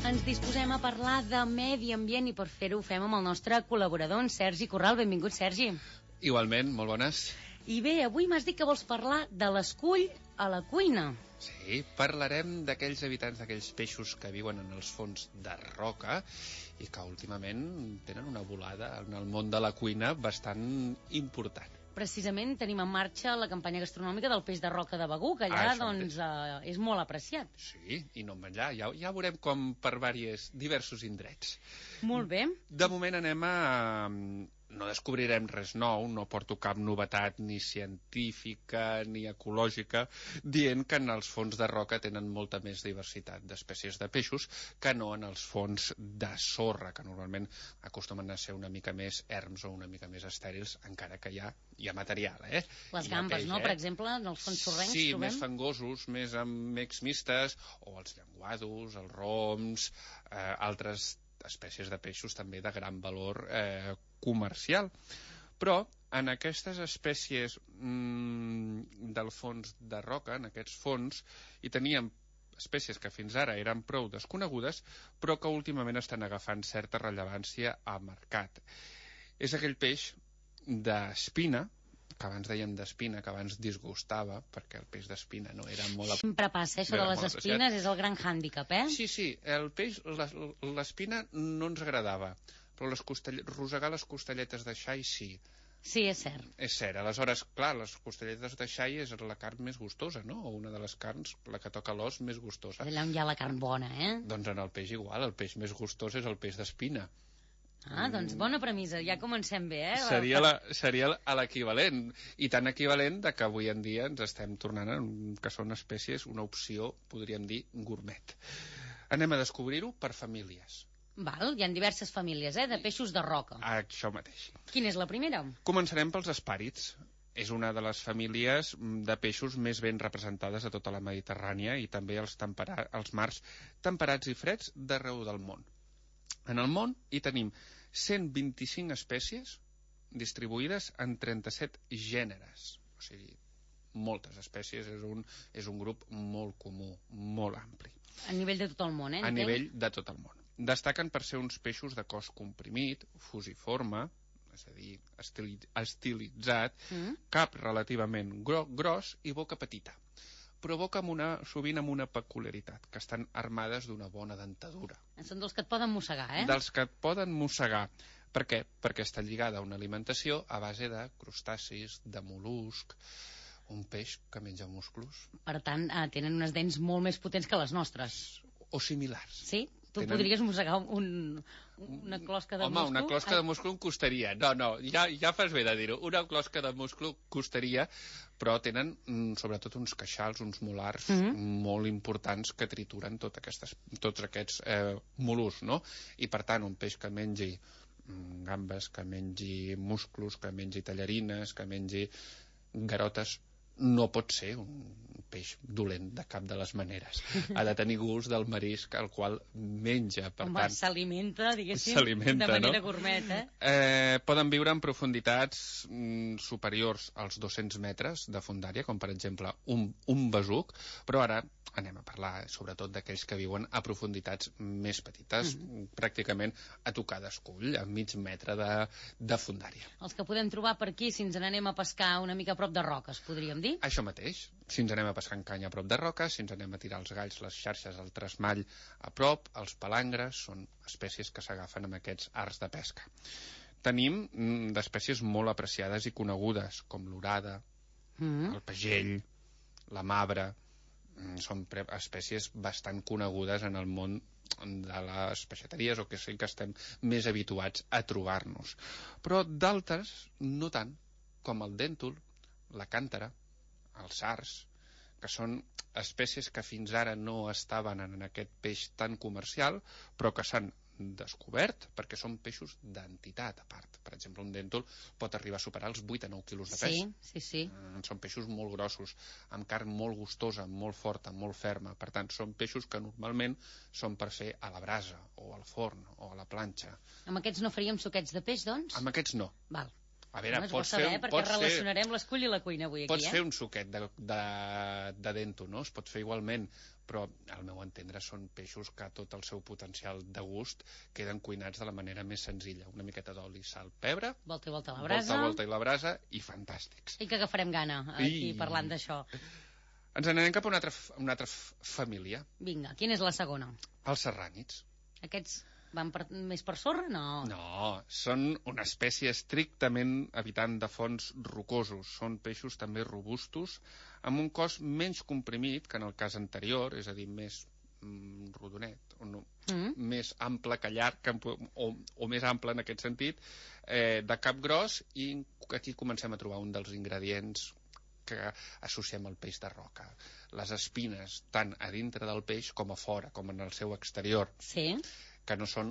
Ens disposem a parlar de medi ambient i per fer-ho ho fem amb el nostre col·laborador, en Sergi Corral. Benvingut, Sergi. Igualment, molt bones. I bé, avui m'has dit que vols parlar de l'escull a la cuina. Sí, parlarem d'aquells habitants, d'aquells peixos que viuen en els fons de roca i que últimament tenen una volada en el món de la cuina bastant important. Precisament tenim en marxa la campanya gastronòmica del peix de roca de Begur, que allà ah, doncs, eh, és molt apreciat. Sí, i no menjar, ja, ja veurem com per diversos, diversos indrets. Molt bé. De moment anem a... No descobrirem res nou, no porto cap novetat ni científica ni ecològica dient que en els fons de roca tenen molta més diversitat d'espècies de peixos que no en els fons de sorra, que normalment acostumen a ser una mica més erms o una mica més estèrils, encara que hi ha, hi ha material, eh? Les gambes, peix, no? Eh? Per exemple, en els fons sorrencs sí, trobem... més fangosos, més amb mecs mistes, o els llenguados, els roms, eh, altres espècies de peixos també de gran valor eh, comercial. Però en aquestes espècies mmm, del fons de roca, en aquests fons, hi teníem espècies que fins ara eren prou desconegudes, però que últimament estan agafant certa rellevància al mercat. És aquell peix d'espina, que abans dèiem d'espina, que abans disgustava, perquè el peix d'espina no era molt... Sempre passa, això de les espines és el gran hàndicap, eh? Sí, sí, el peix, l'espina no ens agradava, però les costellet, rosegar les costelletes de xai sí. Sí, és cert. És cert, aleshores, clar, les costelletes de xai és la carn més gustosa, no? O una de les carns, la que toca l'os, més gustosa. Allà on hi ha la carn bona, eh? Doncs en el peix igual, el peix més gustós és el peix d'espina. Ah, doncs bona premissa, ja comencem bé, eh? Seria, la, seria l'equivalent, i tan equivalent de que avui en dia ens estem tornant a, que són espècies, una opció, podríem dir, gourmet. Anem a descobrir-ho per famílies. Val, hi ha diverses famílies, eh, de peixos de roca. Això mateix. Quina és la primera? Començarem pels espàrids. És una de les famílies de peixos més ben representades a tota la Mediterrània i també als, tempera, als mars temperats i freds d'arreu del món. En el món hi tenim cent vint-i-cinc espècies distribuïdes en trenta-set gèneres. O sigui, moltes espècies, és un, és un grup molt comú, molt ampli. A nivell de tot el món, eh? A nivell de tot el món. Destaquen per ser uns peixos de cos comprimit, fusiforme, és a dir, estilitzat, mm. cap relativament gro gros i boca petita. Però boca amb una, sovint amb una peculiaritat, que estan armades d'una bona dentadura. Són dels que et poden mossegar, eh? Dels que et poden mossegar. Per què? Perquè està lligada a una alimentació a base de crustacis, de mol·lusc, un peix que menja musclos. Per tant, eh, tenen unes dents molt més potents que les nostres. O similars. Sí? Tu tenen... podries mossegar un, una closca de Home, musclo? Home, una closca de musclo em costaria. No, no, ja, ja fas bé de dir-ho. Una closca de musclo costaria, però tenen mm, sobretot uns queixals, uns molars mm -hmm. molt importants que trituren tot aquestes, tots aquests eh, mol·luscs, no? I per tant, un peix que mengi mm, gambes, que mengi musclos, que mengi tallarines, que mengi garotes, no pot ser un peix dolent de cap de les maneres. Ha de tenir gust del marisc al qual menja. Per Home, tant, s'alimenta, diguéssim, s'alimenta, de manera no? gourmet, eh? Eh, poden viure en profunditats mm, superiors als dos-cents metres de fondària, com per exemple un, un besuc, però ara anem a parlar sobretot d'aquells que viuen a profunditats més petites, mm-hmm. pràcticament a tocar d'escull, a mig metre de, de fondària. Els que podem trobar per aquí, si ens n'anem a pescar una mica a prop de roques, podríem dir? Això mateix. Si ens anem a pescar en canya a prop de roques, si ens anem a tirar els galls, les xarxes, el tresmall a prop, els palangres, són espècies que s'agafen amb aquests arts de pesca. Tenim mm, d'espècies molt apreciades i conegudes, com l'orada, mm. el pagell, la mabre. Mm, són pre- espècies bastant conegudes en el món de les peixateries, o que sí que estem més habituats a trobar-nos. Però d'altres no tant, com el dèntol, la càntara, els sards, que són espècies que fins ara no estaven en aquest peix tan comercial, però que s'han descobert perquè són peixos d'entitat a part. Per exemple, un dèntol pot arribar a superar els vuit a nou quilos de pes. Sí, sí, sí. Mm, són peixos molt grossos, amb carn molt gustosa, molt forta, molt ferma. Per tant, són peixos que normalment són per fer a la brasa, o al forn, o a la planxa. Amb aquests no faríem suquets de peix, doncs? Amb aquests no. Val. A veure, no, pots saber, fer... perquè pots relacionarem fer... l'escull i la cuina avui aquí, pots eh? fer un suquet de, de, de dento, no? Es pot fer igualment, però al meu entendre són peixos que tot el seu potencial de gust queden cuinats de la manera més senzilla. Una miqueta d'oli, sal, pebre... Volta i volta a la brasa. Volta, volta i la brasa, i fantàstics. I que agafarem gana, aquí, I... parlant d'això. Ens n'anem cap a una altra, una altra família. Vinga, quina és la segona? Els serrànids. Aquests... Van per, més per sorra? No. No, són una espècie estrictament habitant de fons rocosos. Són peixos també robustos, amb un cos menys comprimit que en el cas anterior, és a dir, més mm, rodonet, o no, mm. més ample que llarg, o, o més ample en aquest sentit, eh, de cap gros, i aquí comencem a trobar un dels ingredients que associem al peix de roca. Les espines, tant a dintre del peix com a fora, com en el seu exterior. Sí. Que no són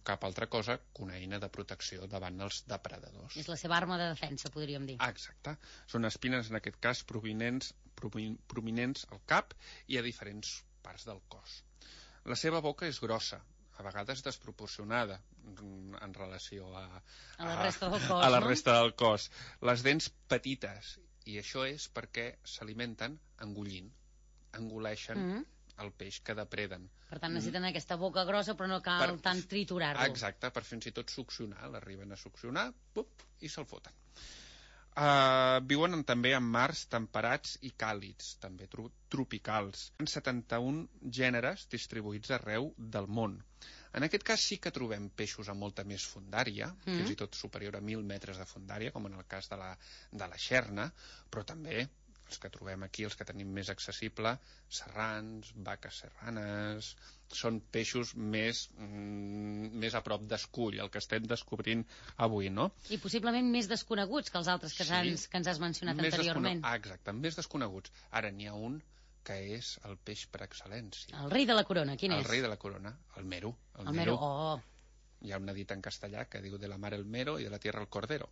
cap altra cosa que una eina de protecció davant els depredadors. És la seva arma de defensa, podríem dir. Exacte. Són espines, en aquest cas, provinents, prominents al cap i a diferents parts del cos. La seva boca és grossa, a vegades desproporcionada en relació a, a la resta del cos, a la no? resta del cos. Les dents petites, i això és perquè s'alimenten engollint, engoleixen mm. el peix que depreden. Per tant, necessiten mm. aquesta boca grossa, però no cal per... tant triturar-lo. Exacte, per fins i tot succionar. L'arriben a succionar, pup, i se'l foten. Uh, viuen en, també en mars temperats i càlids, també tro tropicals. En setanta-un gèneres distribuïts arreu del món. En aquest cas sí que trobem peixos amb molta més fondària, mm. fins i tot superior a mil metres de fondària, com en el cas de la, de la xerna, però també els que trobem aquí, els que tenim més accessible, serrans, vaques serranes, són peixos més, mm, més a prop d'escull, el que estem descobrint avui, no? I possiblement més desconeguts que els altres que, sí. ens, que ens has mencionat més anteriorment. Ah, exacte, més desconeguts. Ara n'hi ha un que és el peix per excel·lència. El rei de la corona, quin el és? El rei de la corona, el mero. El, el mero, oh. Hi ha una dita en castellà que diu de la mar el mero i de la tierra el cordero.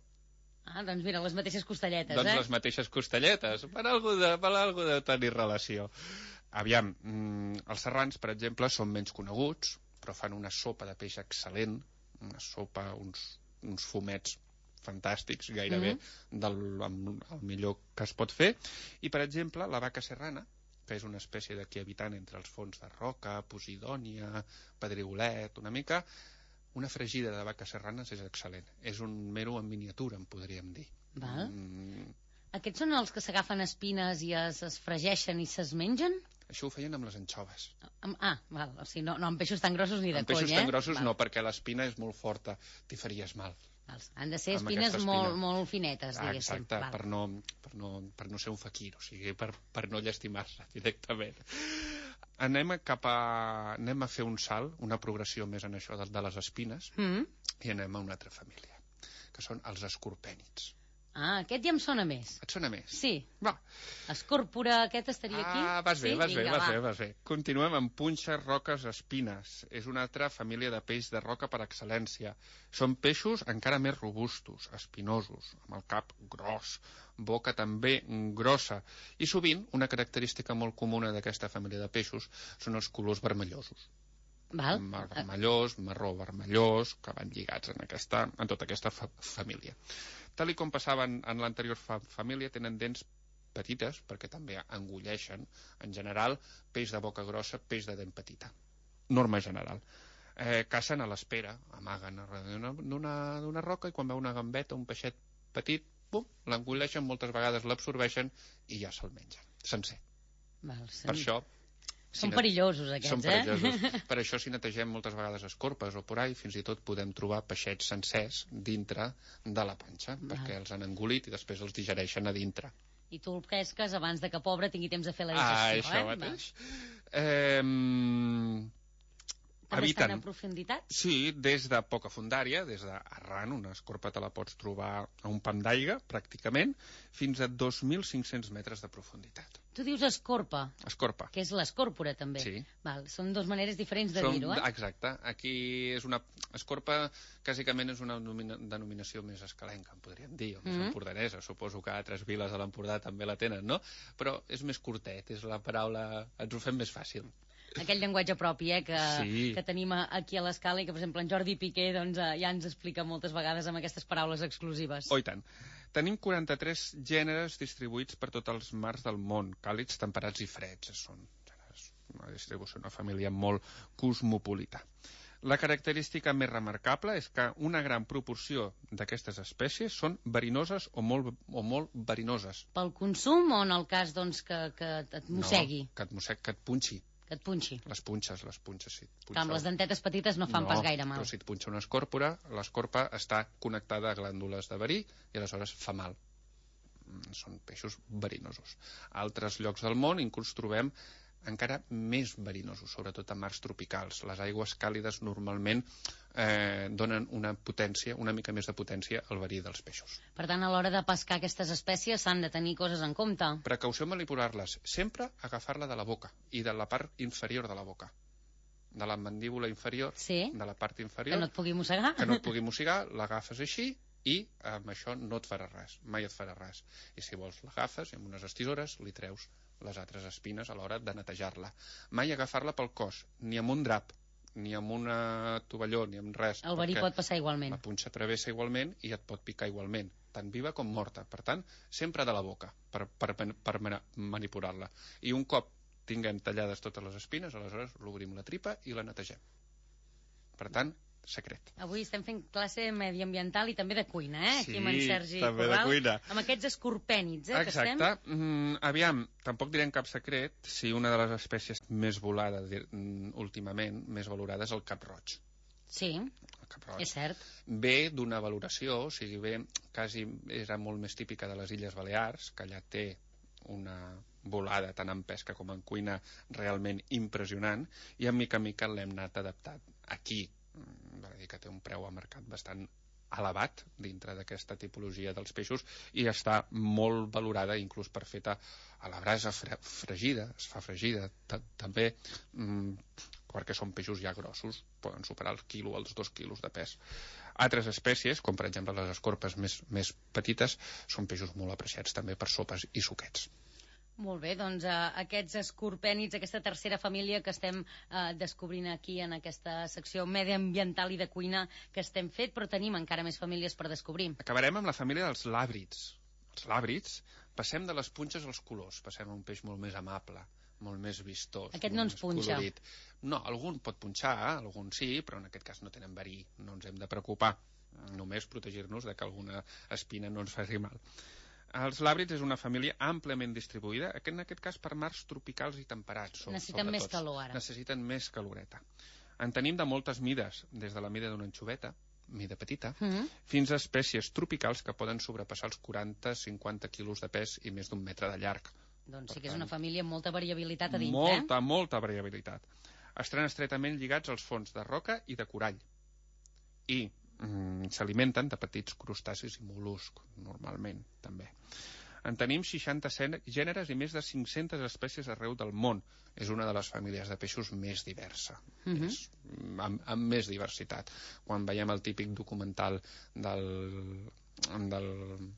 Ah, doncs mira, les mateixes costelletes, doncs eh? Doncs les mateixes costelletes, per algú de, per algú de tenir relació. Aviam, mm, els serrans, per exemple, són menys coneguts, però fan una sopa de peix excel·lent, una sopa, uns, uns fumets fantàstics, gairebé mm. del el millor que es pot fer. I, per exemple, la vaca serrana, que és una espècie d'aquí habitant entre els fons de roca, posidònia, pedrigolet, una mica... Una fregida de vaques serranes és excel·lent. És un mero en miniatura, en podríem dir. Val. Mm. Aquests són els que s'agafen espines i es, es fregeixen i se's mengen? Això ho feien amb les anxoves. Ah, val. O sigui, no, no amb peixos tan grossos ni de amb cony, eh? Amb peixos tan grossos val. No, perquè l'espina és molt forta. T'hi faries mal. Val. Han de ser espines molt, molt finetes, diguéssim. Exacte, per no, per, no, per no ser un faquir, o sigui, per, per no llastimar-se directament. Anem a, cap a, anem a fer un salt, una progressió més en això de, de les espines, mm. i anem a una altra família, que són els escorpènids. Ah, aquest ja em sona més. Et sona més? Sí. Va. Escòrpora, aquest estaria aquí? Ah, vas bé, sí? vas bé, Vinga, vas bé, vas bé. Continuem amb punxes, roques, espines. És una altra família de peix de roca per excel·lència. Són peixos encara més robustos, espinosos, amb el cap gros, boca també grossa. I sovint, una característica molt comuna d'aquesta família de peixos són els colors vermellosos. Val. Vermellós, marró vermellós, que van lligats en, aquesta, en tota aquesta fa família. Tal i com passava en, en l'anterior fa família, tenen dents petites, perquè també engulleixen, en general, peix de boca grossa, peix de dent petita. Norma general. Eh, cacen a l'espera, amaguen d'una roca, i quan veu una gambeta, un peixet petit, bum, l'engulleixen, moltes vegades l'absorbeixen i ja se'l mengen, sencer. Val, per això Són perillosos, aquests, Són perillosos. eh? Per això, si netegem moltes vegades escorpes o por ahí, fins i tot podem trobar peixets sencers dintre de la panxa, Val. perquè els han engolit i després els digereixen a dintre. I tu el pesques abans de que pobre tingui temps de fer la Ah, digestió, això eh? mateix. Eh, També habiten... estan a profunditat? Sí, des de poca fundària, des d'arran, una escorpa te la pots trobar a un pam d'aigua, pràcticament, fins a dos mil cinc-cents metres de profunditat. Tu dius escorpa. Escorpa. Que és l'escòrpora, també. Sí. Val, són dues maneres diferents de Som, dir-ho, eh? Exacte. Aquí és una... Escorpa, bàsicament, és una denominació més escalenca, en podríem dir, o més Mhm. empordanesa. Suposo que altres viles de l'Empordà també la tenen, no? Però és més curtet, és la paraula... Ens ho fem més fàcil. Aquell llenguatge propi, eh, que, Sí. que tenim aquí a l'escala i que, per exemple, en Jordi Piqué doncs, eh, ja ens explica moltes vegades amb aquestes paraules exclusives. Oh, i tant. Tenim quaranta-tres gèneres distribuïts per tots els mars del món, càlids, temperats i freds. Són gèneres, una distribució, una família molt cosmopolita. La característica més remarcable és que una gran proporció d'aquestes espècies són verinoses o molt, o molt verinoses. Pel consum o en el cas doncs, que, que et mossegui? No, que et mossegui, que et punxi. Que et punxi? Les punxes, les punxes, sí. Que amb les dentetes petites no fan no, pas gaire mal. No, però si et punxa una escòrpora, l'escorpa està connectada a glàndules de verí i aleshores fa mal. Són peixos verinosos. A altres llocs del món inclús trobem encara més verinosos, sobretot a mars tropicals. Les aigües càlides normalment eh, donen una potència, una mica més de potència al verí dels peixos. Per tant, a l'hora de pescar aquestes espècies s'han de tenir coses en compte. Precaució en manipular-les. Sempre agafar-la de la boca i de la part inferior de la boca. De la mandíbula inferior, sí. de la part inferior. Que no et pugui mossegar. Que no et pugui mossegar, l'agafes així i amb això no et farà res, mai et farà res. I si vols l'agafes i amb unes estisores li treus les altres espines a l'hora de netejar-la. Mai agafar-la pel cos, ni amb un drap, ni amb una tovalló, ni amb res. El verí pot passar igualment. La punxa travessa igualment i et pot picar igualment, tant viva com morta. Per tant, sempre de la boca, per, per, per manipular-la. I un cop tinguem tallades totes les espines, aleshores l'obrim la tripa i la netegem. Per tant, secret. Avui estem fent classe mediambiental i també de cuina, eh? Sí, aquí amb en Sergi també Corral, de cuina. amb aquests escorpènids, eh? Exacte. Que estem... Mm, aviam, tampoc direm cap secret si una de les espècies més volades últimament, més valorada, és el cap-roig. Sí, és cert. Ve d'una valoració, o sigui, ve, quasi era molt més típica de les Illes Balears, que allà té una volada tant en pesca com en cuina realment impressionant, i a mica a mica l'hem anat adaptat aquí. Val a dir que té un preu a mercat bastant elevat dintre d'aquesta tipologia dels peixos i està molt valorada inclús per feta a la brasa fre fregida, es fa fregida també, mmm, perquè són peixos ja grossos, poden superar el quilo, els dos quilos de pes. Altres espècies, com per exemple les escorpes més, més petites, són peixos molt apreciats també per sopes i suquets. Molt bé, doncs eh, aquests escorpènids, aquesta tercera família que estem eh, descobrint aquí en aquesta secció mediambiental i de cuina que estem fet, però tenim encara més famílies per descobrir. Acabarem amb la família dels làbrids. Els làbrids, passem de les punxes als colors, passem a un peix molt més amable, molt més vistós. Aquest no ens punxa. Colorit. No, algun pot punxar, algun sí, però en aquest cas no tenen verí, no ens hem de preocupar, només protegir-nos de que alguna espina no ens faci mal. Els làbrids és una família àmpliament distribuïda, en aquest cas per mars tropicals i temperats. Necessiten més calor ara. Necessiten més caloreta. En tenim de moltes mides, des de la mida d'una anxoveta, mida petita, Mm-hmm. fins a espècies tropicals que poden sobrepassar els quaranta a cinquanta quilos de pes i més d'un metre de llarg. Doncs sí que és una família amb molta variabilitat a dins, molta, eh? Molta variabilitat. Estan estretament lligats als fons de roca i de corall. I mm, s'alimenten de petits crustacis i mol·luscs, normalment, també. En tenim seixanta gèneres i més de cinc-centes espècies arreu del món. És una de les famílies de peixos més diversa, Mhm. és, amb, amb més diversitat. Quan veiem el típic documental del, del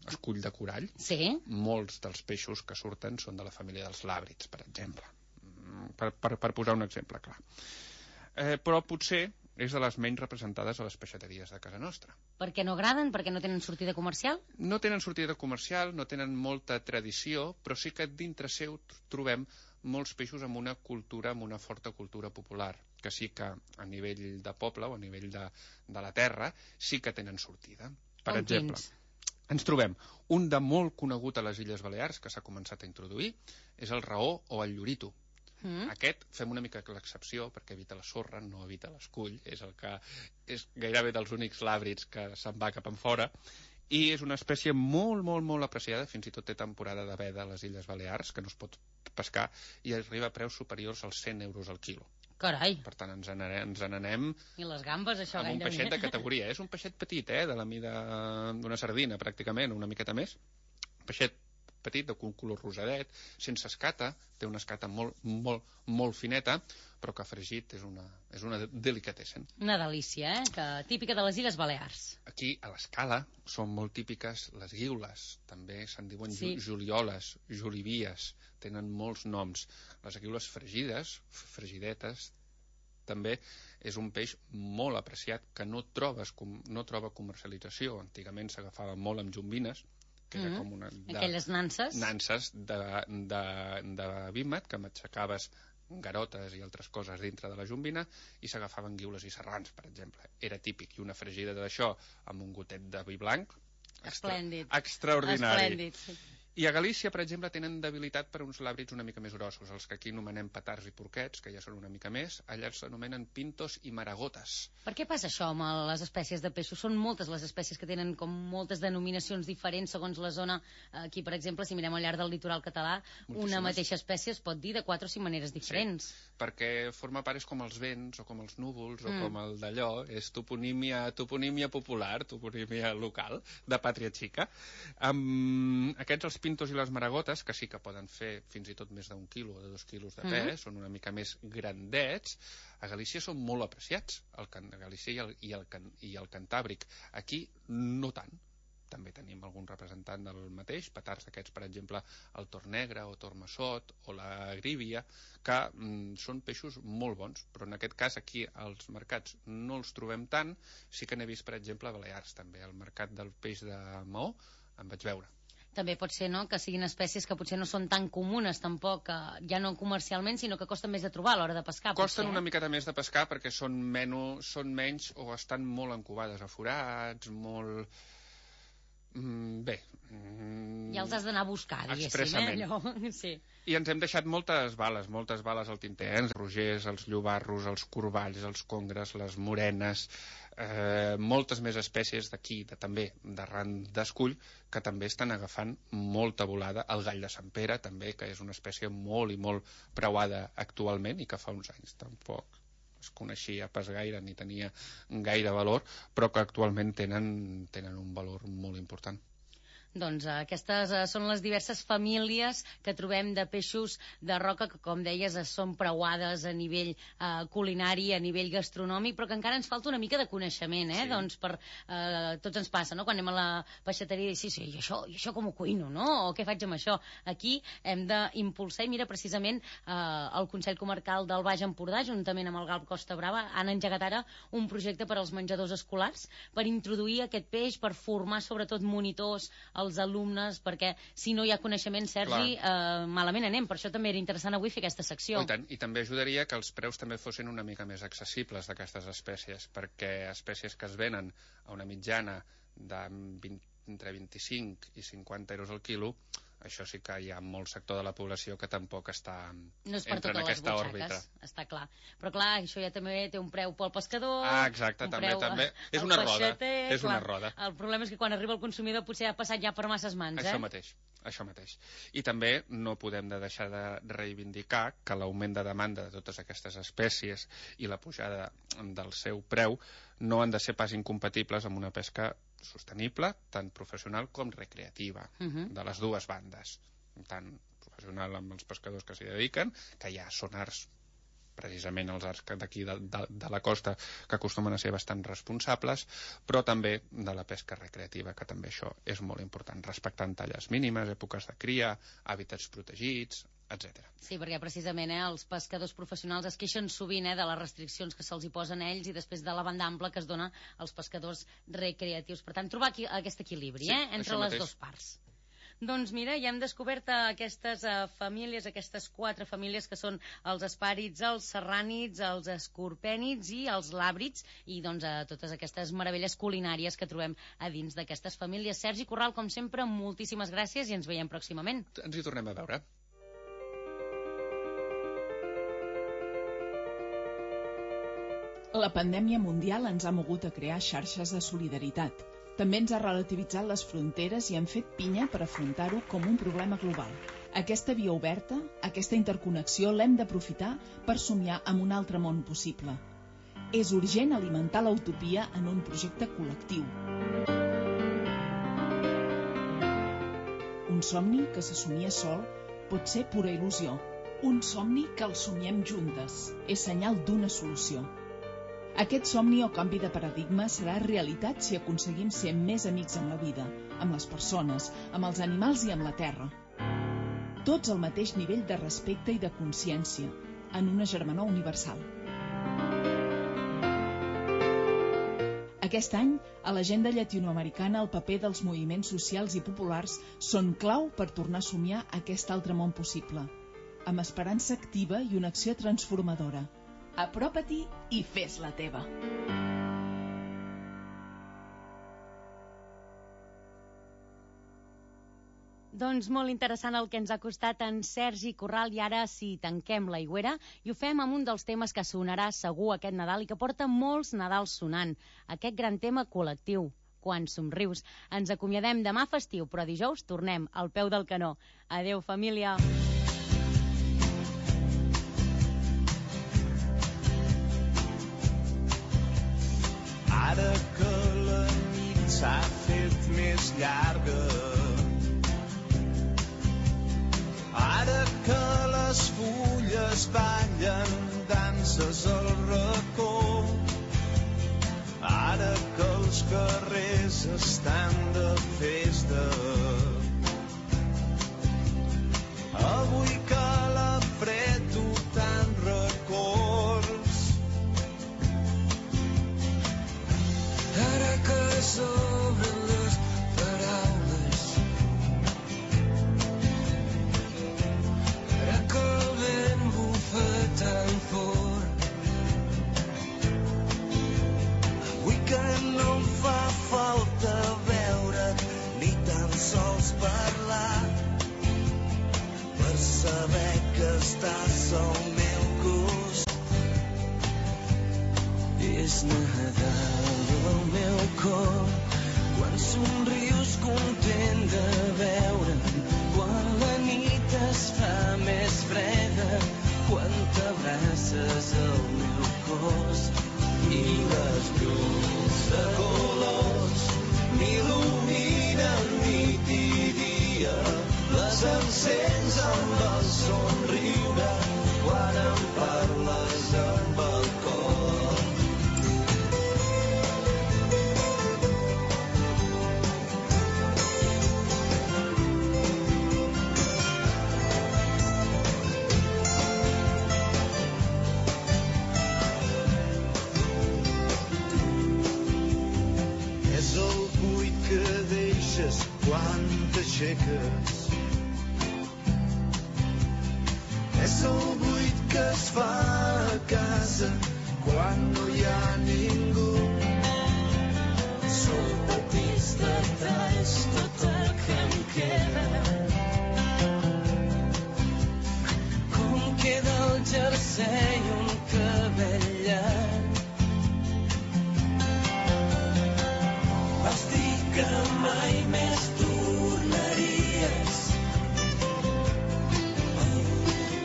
escull de corall, Sí. molts dels peixos que surten són de la família dels làbrids, per exemple. Per, per, per posar un exemple clar. Eh, però potser és de les menys representades a les peixateries de casa nostra. Per què no agraden? Perquè no tenen sortida comercial? No tenen sortida comercial, no tenen molta tradició, però sí que dintre seu trobem molts peixos amb una cultura, amb una forta cultura popular, que sí que a nivell de poble o a nivell de, de la terra sí que tenen sortida. Per Com exemple, quins? ens trobem un de molt conegut a les Illes Balears, que s'ha començat a introduir, és el raó o el llorito. Mm. Aquest fem una mica l'excepció perquè evita la sorra, no evita l'escull, és el que és gairebé dels únics làbrids que se'n va cap enfora, i és una espècie molt, molt, molt apreciada, fins i tot té temporada de veda a les Illes Balears, que no es pot pescar, i arriba a preus superiors als cent euros al quilo. Carai. Per tant, ens n'anem, ens n'anem I les gambes, això amb un gairebé. peixet de categoria. És un peixet petit, eh, de la mida d'una sardina, pràcticament, una miqueta més. Un peixet petit, de un color rosadet, sense escata, té una escata molt, molt, molt fineta, però que fregit és una, és una delicatessen. Una delícia, eh? Que, típica de les Illes Balears. Aquí, a l'Escala, són molt típiques les guiules, també se'n diuen Sí. sí. julioles, julivies, tenen molts noms. Les guiules fregides, fregidetes, també és un peix molt apreciat que no, trobes, no troba comercialització. Antigament s'agafava molt amb jombines, que Mm. era com una... De, Aquelles nanses. nanses de, de, de vímet, que matxacaves garotes i altres coses dintre de la jombina i s'agafaven guiules i serrans, per exemple. Era típic. I una fregida d'això amb un gotet de vi blanc, extra, Esplèndid. extraordinari. Esplèndid, sí. I a Galícia, per exemple, tenen debilitat per uns làbrids una mica més grossos, els que aquí anomenem petards i porquets, que ja són una mica més, allà els anomenen pintos i maragotes. Per què passa això amb les espècies de peixos? Són moltes les espècies que tenen com moltes denominacions diferents segons la zona. Aquí, per exemple, si mirem al llarg del litoral català, Moltíssimes. una mateixa espècie es pot dir de quatre o cinc maneres diferents. Sí, perquè forma part és com els vents, o com els núvols, Mm. o com el d'allò, és toponímia, toponímia popular, toponímia local, de pàtria xica. Um, aquests, els pintos i les maragotes, que sí que poden fer fins i tot més d'un quilo o de dos quilos de pes, Mm. són una mica més grandets, a Galícia són molt apreciats, el can, a Galícia i el, i, el can, i el Cantàbric. Aquí no tant. També tenim algun representant del mateix, petards d'aquests, per exemple, el tor negre o tor massot o la grívia, que mm, són peixos molt bons, però en aquest cas aquí als mercats no els trobem tant. Sí que n'he vist, per exemple, a Balears, també, al mercat del peix de Maó, en vaig veure. També pot ser, no?, que siguin espècies que potser no són tan comunes tampoc, que ja no comercialment, sinó que costen més de trobar a l'hora de pescar. Costen potser, una eh? miqueta més de pescar perquè són, menys, són menys o estan molt encovades a forats, molt... Mm, bé. Mm, Ja els has d'anar a buscar, diguéssim, expressament. eh? Allò. Sí. I ens hem deixat moltes bales, moltes bales al tinter, eh? Els rogers, els llobarros, els corballs, els congres, les morenes, eh, moltes més espècies d'aquí, de, també d'arran d'escull, que també estan agafant molta volada. El gall de Sant Pere, també, que és una espècie molt i molt preuada actualment i que fa uns anys tampoc es coneixia pas gaire ni tenia gaire valor, però que actualment tenen, tenen un valor molt important. Doncs eh, aquestes eh, són les diverses famílies que trobem de peixos de roca que, com deies, eh, són preuades a nivell eh, culinari, a nivell gastronòmic, però que encara ens falta una mica de coneixement, eh? Sí. Doncs per, eh, tots ens passa, no?, quan anem a la peixateria i sí, sí, i això, i això com ho cuino, no? O què faig amb això? Aquí hem d'impulsar, i mira, precisament eh, el Consell Comarcal del Baix Empordà, juntament amb el Galp Costa Brava, han engegat ara un projecte per als menjadors escolars per introduir aquest peix, per formar sobretot monitors als alumnes, perquè si no hi ha coneixement, Sergi, eh, malament anem. Per això també era interessant avui fer aquesta secció. Oh, i tant, i també ajudaria que els preus també fossin una mica més accessibles d'aquestes espècies, perquè espècies que es venen a una mitjana de vint, entre vint-i-cinc i cinquanta euros al quilo, això sí que hi ha molt sector de la població que tampoc està no és per entra en totes les aquesta butxaques, òrbita. està clar. Però clar, això ja també té un preu pel pescador... Ah, exacte, un també, preu també. a- És al una roda, peixater, és una clar. roda. El problema és que quan arriba el consumidor potser ha passat ja per masses mans, eh? Això mateix, això mateix. I també no podem de deixar de reivindicar que l'augment de demanda de totes aquestes espècies i la pujada del seu preu no han de ser pas incompatibles amb una pesca sostenible, tant professional com recreativa, Mhm. de les dues bandes, tant professional amb els pescadors que s'hi dediquen, que ja són arts, precisament els arts d'aquí de, de, de la costa, que acostumen a ser bastant responsables, però també de la pesca recreativa, que també això és molt important, respectant talles mínimes, èpoques de cria, hàbitats protegits, etcètera. Sí, perquè precisament eh, els pescadors professionals es queixen sovint eh, de les restriccions que se'ls hi posen a ells i després de la banda ampla que es dona als pescadors recreatius. Per tant, trobar aquí, aquest equilibri Sí, eh, entre això les mateix. dues parts. Doncs mira, ja hem descobert eh, aquestes eh, famílies, aquestes quatre famílies que són els espàrits, els serrànids, els escorpènids i els làbrids, i doncs eh, totes aquestes meravelles culinàries que trobem a dins d'aquestes famílies. Sergi Corral, com sempre, moltíssimes gràcies i ens veiem pròximament. Ens hi tornem a veure. La pandèmia mundial ens ha mogut a crear xarxes de solidaritat. També ens ha relativitzat les fronteres i hem fet pinya per afrontar-ho com un problema global. Aquesta via oberta, aquesta interconnexió, l'hem d'aprofitar per somiar amb un altre món possible. És urgent alimentar l'utopia en un projecte col·lectiu. Un somni que se somia sol pot ser pura il·lusió. Un somni que el somiem juntes és senyal d'una solució. Aquest somni o canvi de paradigma serà realitat si aconseguim ser més amics amb la vida, amb les persones, amb els animals i amb la terra. Tots al mateix nivell de respecte i de consciència, en una germanor universal. Aquest any, a l'agenda llatinoamericana, el paper dels moviments socials i populars són clau per tornar a somiar aquest altre món possible, amb esperança activa i una acció transformadora. Apropa-t'hi i fes-la teva. Doncs molt interessant el que ens ha costat en Sergi Corral, i ara sí, tanquem l'aigüera i ho fem amb un dels temes que sonarà segur aquest Nadal i que porta molts Nadals sonant, aquest gran tema col·lectiu, Quan somrius. Ens acomiadem demà festiu, però dijous tornem al peu del canó. Adeu, família! Ara que la nit s'ha fet més llarga, ara que les fulles ballen danses al racó, ara que els carrers estan de festa, avui que la fred tu tan records, ara que s'obren les paraules, ara que el vent bufa tan fort, avui que no em fa falta veure ni tan sols parlar per saber que estàs al meu costat. És Nadal al meu cor, quan somrius content de veure'm, quan la nit es fa més freda, quan t'abraces al meu cos i les llums de colors m'il·luminen nit i dia, les encens amb el somriure quan em parles amb el cor. Quan t'aixeques és el buit que es fa a casa quan no hi ha ningú. Són petits detalls tot el que em queda jersei i un cabell llarg. Vas dir que mai més tornaries. El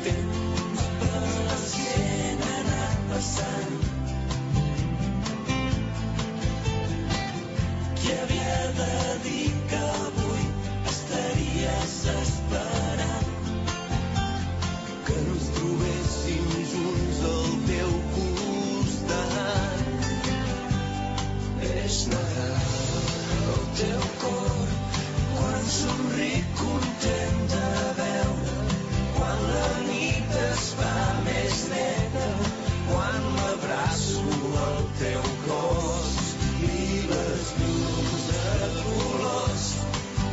temps per la gent ha anat passant. Qui havia de dir que avui estaries esperant que ens trobéssim junts al teu costat? És negar el teu cor quan somric content de veure, quan la nit es fa més neta, quan m'abraço al teu cos i les llums de colors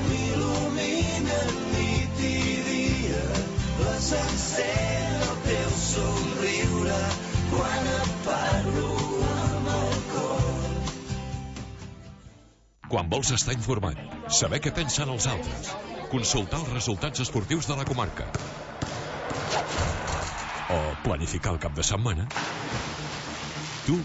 m'il·luminen nit i dia. Les encén el teu somriure quan et parlo amb el cor. Quan vols estar informat, saber què pensen els altres, consultar els resultats esportius de la comarca o planificar el cap de setmana,